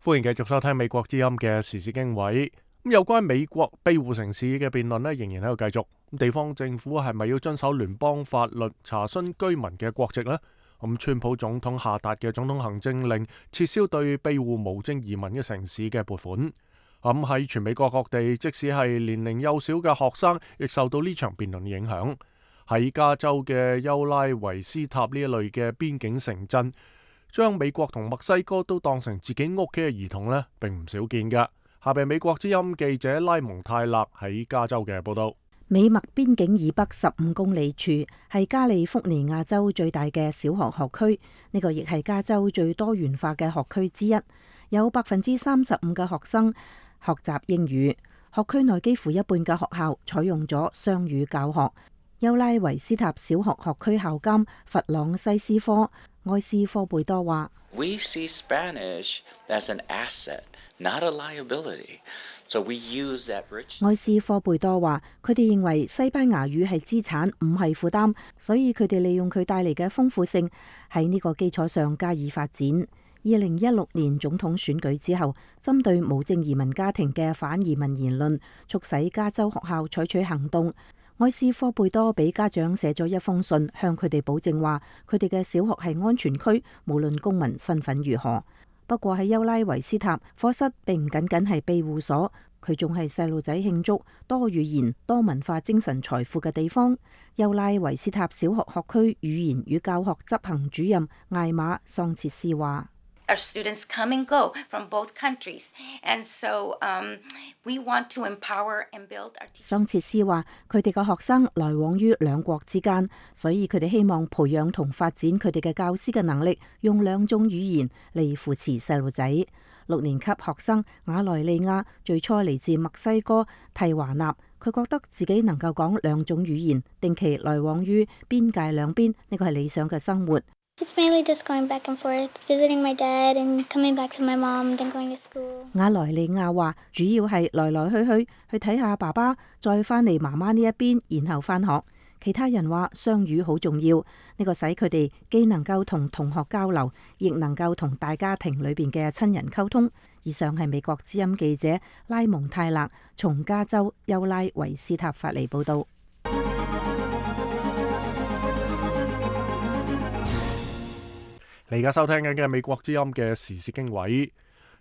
歡迎繼續收聽美國之音嘅時事經緯。咁有關美國庇護城市嘅辯論咧，仍然喺度繼續。地方政府係咪要遵守聯邦法律查詢居民嘅國籍呢？咁川普總統下達嘅總統行政令，撤銷對庇護無證移民嘅城市嘅撥款。咁喺全美國各地，即使係年齡幼小嘅學生，亦受到呢場辯論影響。喺加州嘅優拉維斯塔呢一類嘅邊境城鎮，將美國同墨西哥都當成自己屋企嘅兒童呢，並唔少見㗎。下邊美國之音記者拉蒙泰勒喺加州嘅報道。美墨邊境以北十五公里處係加利福尼亞州最大嘅小學學區，呢個亦係加州最多元化嘅學區之一，有百分之三十五嘅學生學習英語。學區內幾乎一半嘅學校採用咗雙語教學。優拉維斯塔小學學區校監弗朗西斯科埃斯科貝多話： We see Spanish as an asset, not a liability. So we use that rich. 埃斯科貝多話：佢哋認為西班牙語係資產，唔係負擔，所以佢哋利用佢帶嚟嘅豐富性，喺呢個基礎上加以發展。二零一六年總統選舉之後，針對無證移民家庭嘅反移民言論，促使加州學校採取行動。埃斯科貝多俾家長寫咗一封信，向佢哋保證話，佢哋嘅小學係安全區，無論公民身份如何。不過喺優拉維斯塔，課室並唔僅僅係庇護所，佢仲係細路仔慶祝多語言、多文化精神財富嘅地方。優拉維斯塔小學學區語言與教學執行主任艾瑪桑切斯話：Our students come and go from both countries, and so um, we want to empower and build our teachers. 桑切斯話：佢哋嘅學生來往於兩國之間，所以佢哋希望培養同發展佢哋嘅教師嘅能力，用兩種語言嚟扶持細路仔。六年級學生瓦萊利亞最初嚟自墨西哥蒂華納，佢覺得自己能夠講兩種語言，定期來往於邊界兩邊，呢個係理想嘅生活。It's mainly just going back and forth, visiting my dad and coming back to my mom, then going to school. 瓦萊利亞話：主要係來來去去去睇下爸爸，再返嚟媽媽呢一邊，然後返學。其他人話雙語好重要，呢個使佢哋既能夠同同學交流，亦能夠同大家庭裏邊嘅親人溝通。以上係美國之音記者拉蒙泰勒從加州優拉維斯塔發嚟報道。你而家收聽緊嘅美國之音嘅時事經緯。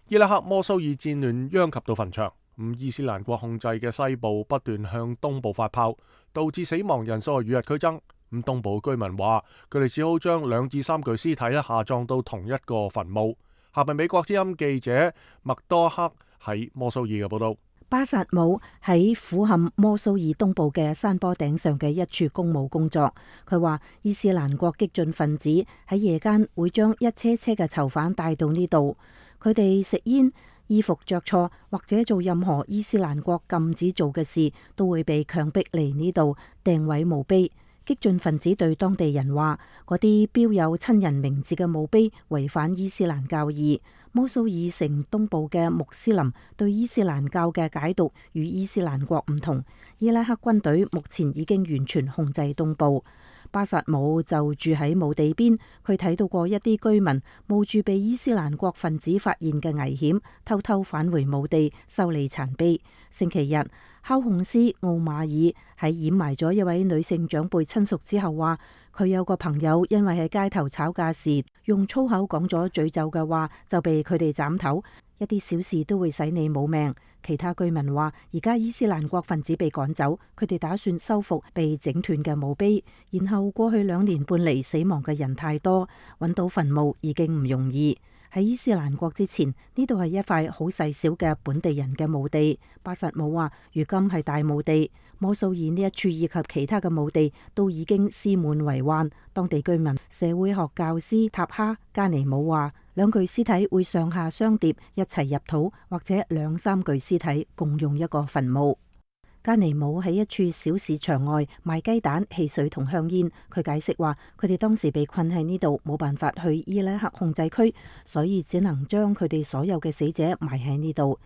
伊拉克摩蘇爾戰亂殃及到墳場，咁伊斯蘭國控制嘅西部不斷向東部發炮，導致死亡人數與日俱增。咁東部居民話，佢哋只好將兩至三具屍體咧下葬到同一個墳墓。下邊美國之音記者麥多克喺摩蘇爾嘅報道。巴薩姆喺俯瞰摩蘇爾東部嘅山坡頂上嘅一處公墓工作。佢話伊斯蘭國激進分子喺夜間會將一車車嘅囚犯帶到呢度，佢哋食煙、衣服着錯或者做任何伊斯蘭國禁止做嘅事，都會被強迫嚟呢度掟毀墓碑。激進分子對當地人話，嗰啲標有親人名字嘅墓碑違反伊斯蘭教義。摩蘇爾城東部嘅穆斯林對伊斯蘭教嘅解讀與伊斯蘭國唔同。伊拉克軍隊目前已經完全控制東部。巴薩姆就住喺墓地邊，佢睇到過一啲居民冒住被伊斯蘭國分子發現嘅危險，偷偷返回墓地修理殘碑。星期日，考控師奧馬爾喺掩埋咗一位女性長輩親屬之後話，佢有個朋友因為喺街頭吵架時用粗口講咗詛咒嘅話，就被佢哋斬頭。一啲小事都會使你冇命。其他居民話，而家伊斯蘭國分子被趕走，佢哋打算修復被整斷嘅墓碑。然後過去兩年半嚟，死亡嘅人太多，揾到墳墓已經唔容易。喺伊斯蘭國之前，呢度係一塊好細小嘅本地人嘅墓地。巴薩姆話，如今係大墓地。摩蘇爾呢一處以及其他嘅墓地都已經屍滿為患。當地居民社會學教師塔哈加尼姆話，兩具屍體會上下相疊一齊入土，或者兩三具屍體共用一個墳墓。加尼姆喺一處小市場外賣雞蛋、汽水同香煙。佢解釋話，佢哋當時被困喺呢度，冇辦法去伊拉克控制區，所以只能將佢哋所有嘅死者埋喺呢度。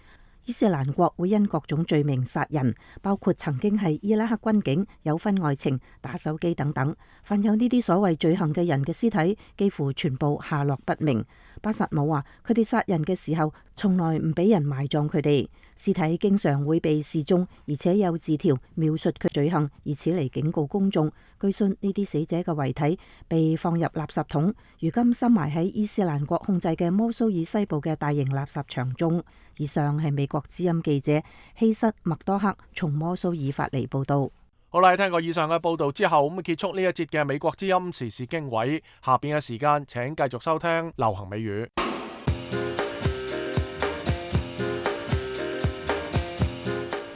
伊斯蘭國會因各種罪名殺人，包括曾經係伊拉克軍警、有婚外情、打手機等等。犯有呢啲所謂罪行嘅人嘅屍體幾乎全部下落不明。巴薩姆話，佢哋殺人嘅時候從來唔俾人埋葬佢哋，屍體經常會被示眾，而且有字條描述佢罪行，以此嚟警告公眾。據信呢啲死者嘅遺體被放入垃圾桶，如今深埋喺伊斯蘭國控制嘅摩蘇爾西部嘅大型垃圾場中。以上係美國之音記者希瑟麥多克從摩蘇爾發嚟報道。好啦，聽過以上嘅報道之後，咁結束呢一節嘅美國之音時事經緯。下邊嘅時間，請繼續收聽流行美語。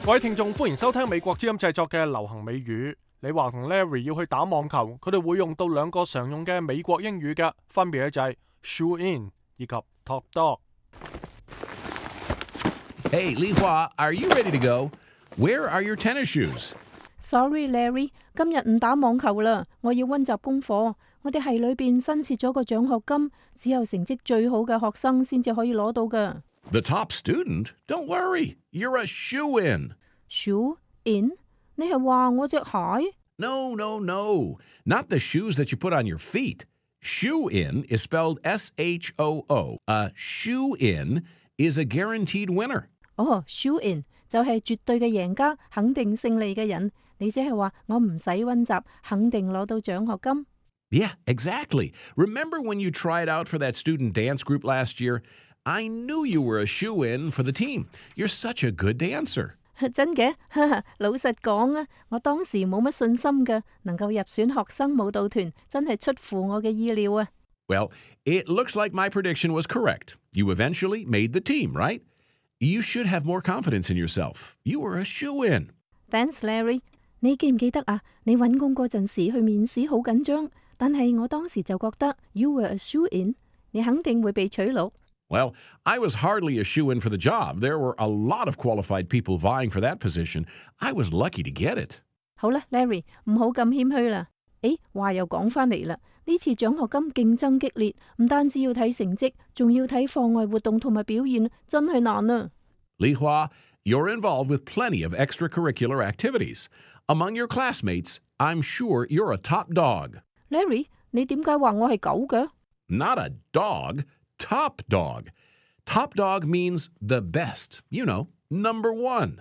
各位聽眾，歡迎收聽美國之音製作嘅流行美語。李華同 Larry 要去打網球，佢哋會用到兩個常用嘅美國英語嘅，分別就係 shoe in 以及 top dog。Hey, Li Hua, are you ready to go? Where are your tennis shoes? Sorry, Larry, 今日唔打網球啦，我要溫習功課。我哋系裏邊新設咗個獎學金，只有成績最好嘅學生先至可以攞到噶。The top student? Don't worry, you're a shoe in. Shoe in? 你係話我隻鞋 ？No, no, no, not the shoes that you put on your feet. Shoe in is spelled S H O O. A shoe in is a guaranteed winner. 哦、oh, shoe in 就係絕對嘅贏家，肯定勝利嘅人。你即係話我唔使溫習，肯定攞到獎學金。Yeah, exactly. Remember when you tried out for that student dance group last year? I knew you were a shoe-in for the team. You're such a good dancer. 真嘅？老實講啊，我當時冇乜信心㗎，能夠入選學生舞蹈團，真係出乎我嘅意料啊。Well, it looks like my prediction was correct. You eventually made the team, right? You should have more confidence in yourself. You were a shoe-in. Thanks, Larry. 你記唔記得啊？你揾工嗰陣時去面試好緊張，但係我當時就覺得 you were a shoe-in， 你肯定會被取錄。Well, I was hardly a shoe-in for the job. There were a lot of qualified people vying for that position. I was lucky to get it. 好啦 ，Larry， 唔好咁謙虛啦。誒，話又講返嚟啦，呢次獎學金競爭激烈，唔單止要睇成績，仲要睇課外活動同埋表現，真係難啊。Li Hua, you're involved with plenty of extracurricular activities. Among your classmates, I'm sure you're a top dog. Larry, 你點解話我係狗嘅？ Not a dog, top dog. Top dog means the best. You know, number one.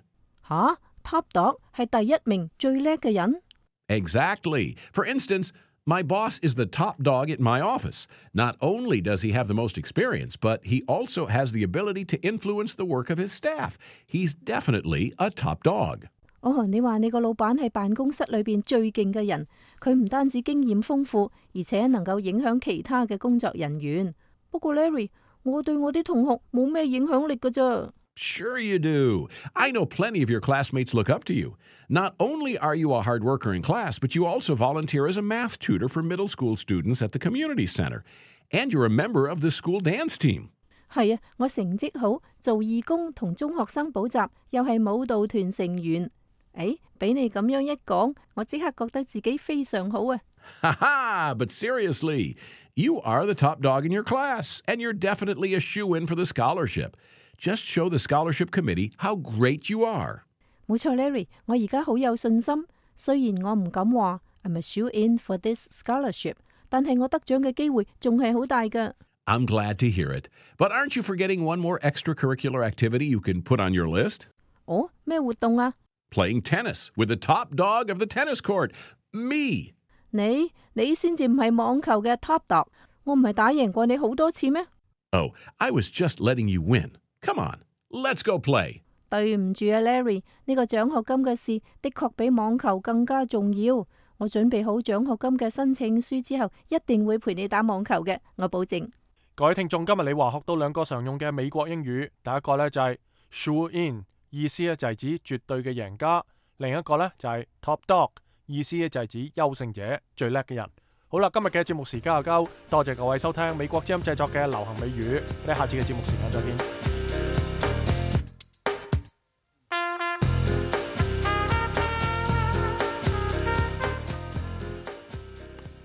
吓 ，top dog 係第一名最叻嘅人。Exactly. For instance, my boss is the top dog at my office. Not only does he have the most experience, but he also has the ability to influence the work of his staff. He's definitely a top dog. 哦，你話你個老闆係辦公室裏邊最勁嘅人，佢唔單止經驗豐富，而且能夠影響其他嘅工作人員。不過 Larry， 我對我啲同學冇咩影響力㗎咋。Sure you do. I know plenty of your classmates look up to you. Not only are you a hard worker in class, but you also volunteer as a math tutor for middle school students at the community center. And you're a member of the school dance team. 係啊，我成績好，做義工同中學生補習，又係舞蹈團成員。誒，俾你咁樣一講，我即刻覺得自己非常好啊！ Ha ha! But seriously, you are the top dog in your class, and you're definitely a shoe-in for the scholarship. Just show the scholarship committee how great you are. 冇錯 ，Larry， 我而家好有信心。雖然我唔敢話 I'm a shoe-in for this scholarship， 但係我得獎嘅機會仲係好大㗎。I'm glad to hear it. But aren't you forgetting one more extracurricular activity you can put on your list? 哦，咩活動啊？ Playing tennis with the top dog of the tennis court, me. 你你先至唔係網球嘅 top dog， 我唔係打贏過你好多次咩？ Oh, I was just letting you win. Come on, let's go play. 對唔住啊 ，Larry， 呢個獎學金嘅事的確比網球更加重要。我準備好獎學金嘅申請書之後，一定會陪你打網球嘅，我保證。各位聽眾，今日你話學到兩個常用嘅美國英語，第一個呢就係 shoe in。意思咧就係指絕對嘅贏家，另一個咧就係 top dog， 意思咧就係指優勝者、最叻嘅人。好啦，今日嘅節目時間又夠，多謝各位收聽美國之音製作嘅流行美語，我哋下次嘅節目時間再見。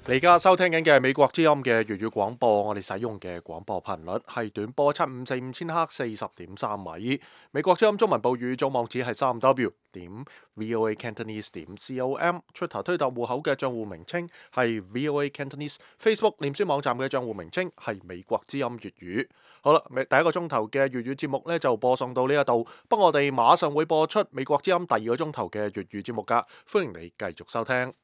你而家收聽緊嘅美國之音嘅粵語廣播，我哋使用嘅廣播頻率係短波七五四五千赫四十點三米。美國之音中文部語總網址係三 W 點 VOA Cantonese 點 com。Twitter 推特戶口嘅賬戶名稱係 VOA Cantonese。Facebook 臉書網站嘅賬戶名稱係美國之音粵語。好啦，第一個鐘頭嘅粵語節目呢就播送到呢一度，不過我哋馬上會播出美國之音第二個鐘頭嘅粵語節目噶，歡迎你繼續收聽。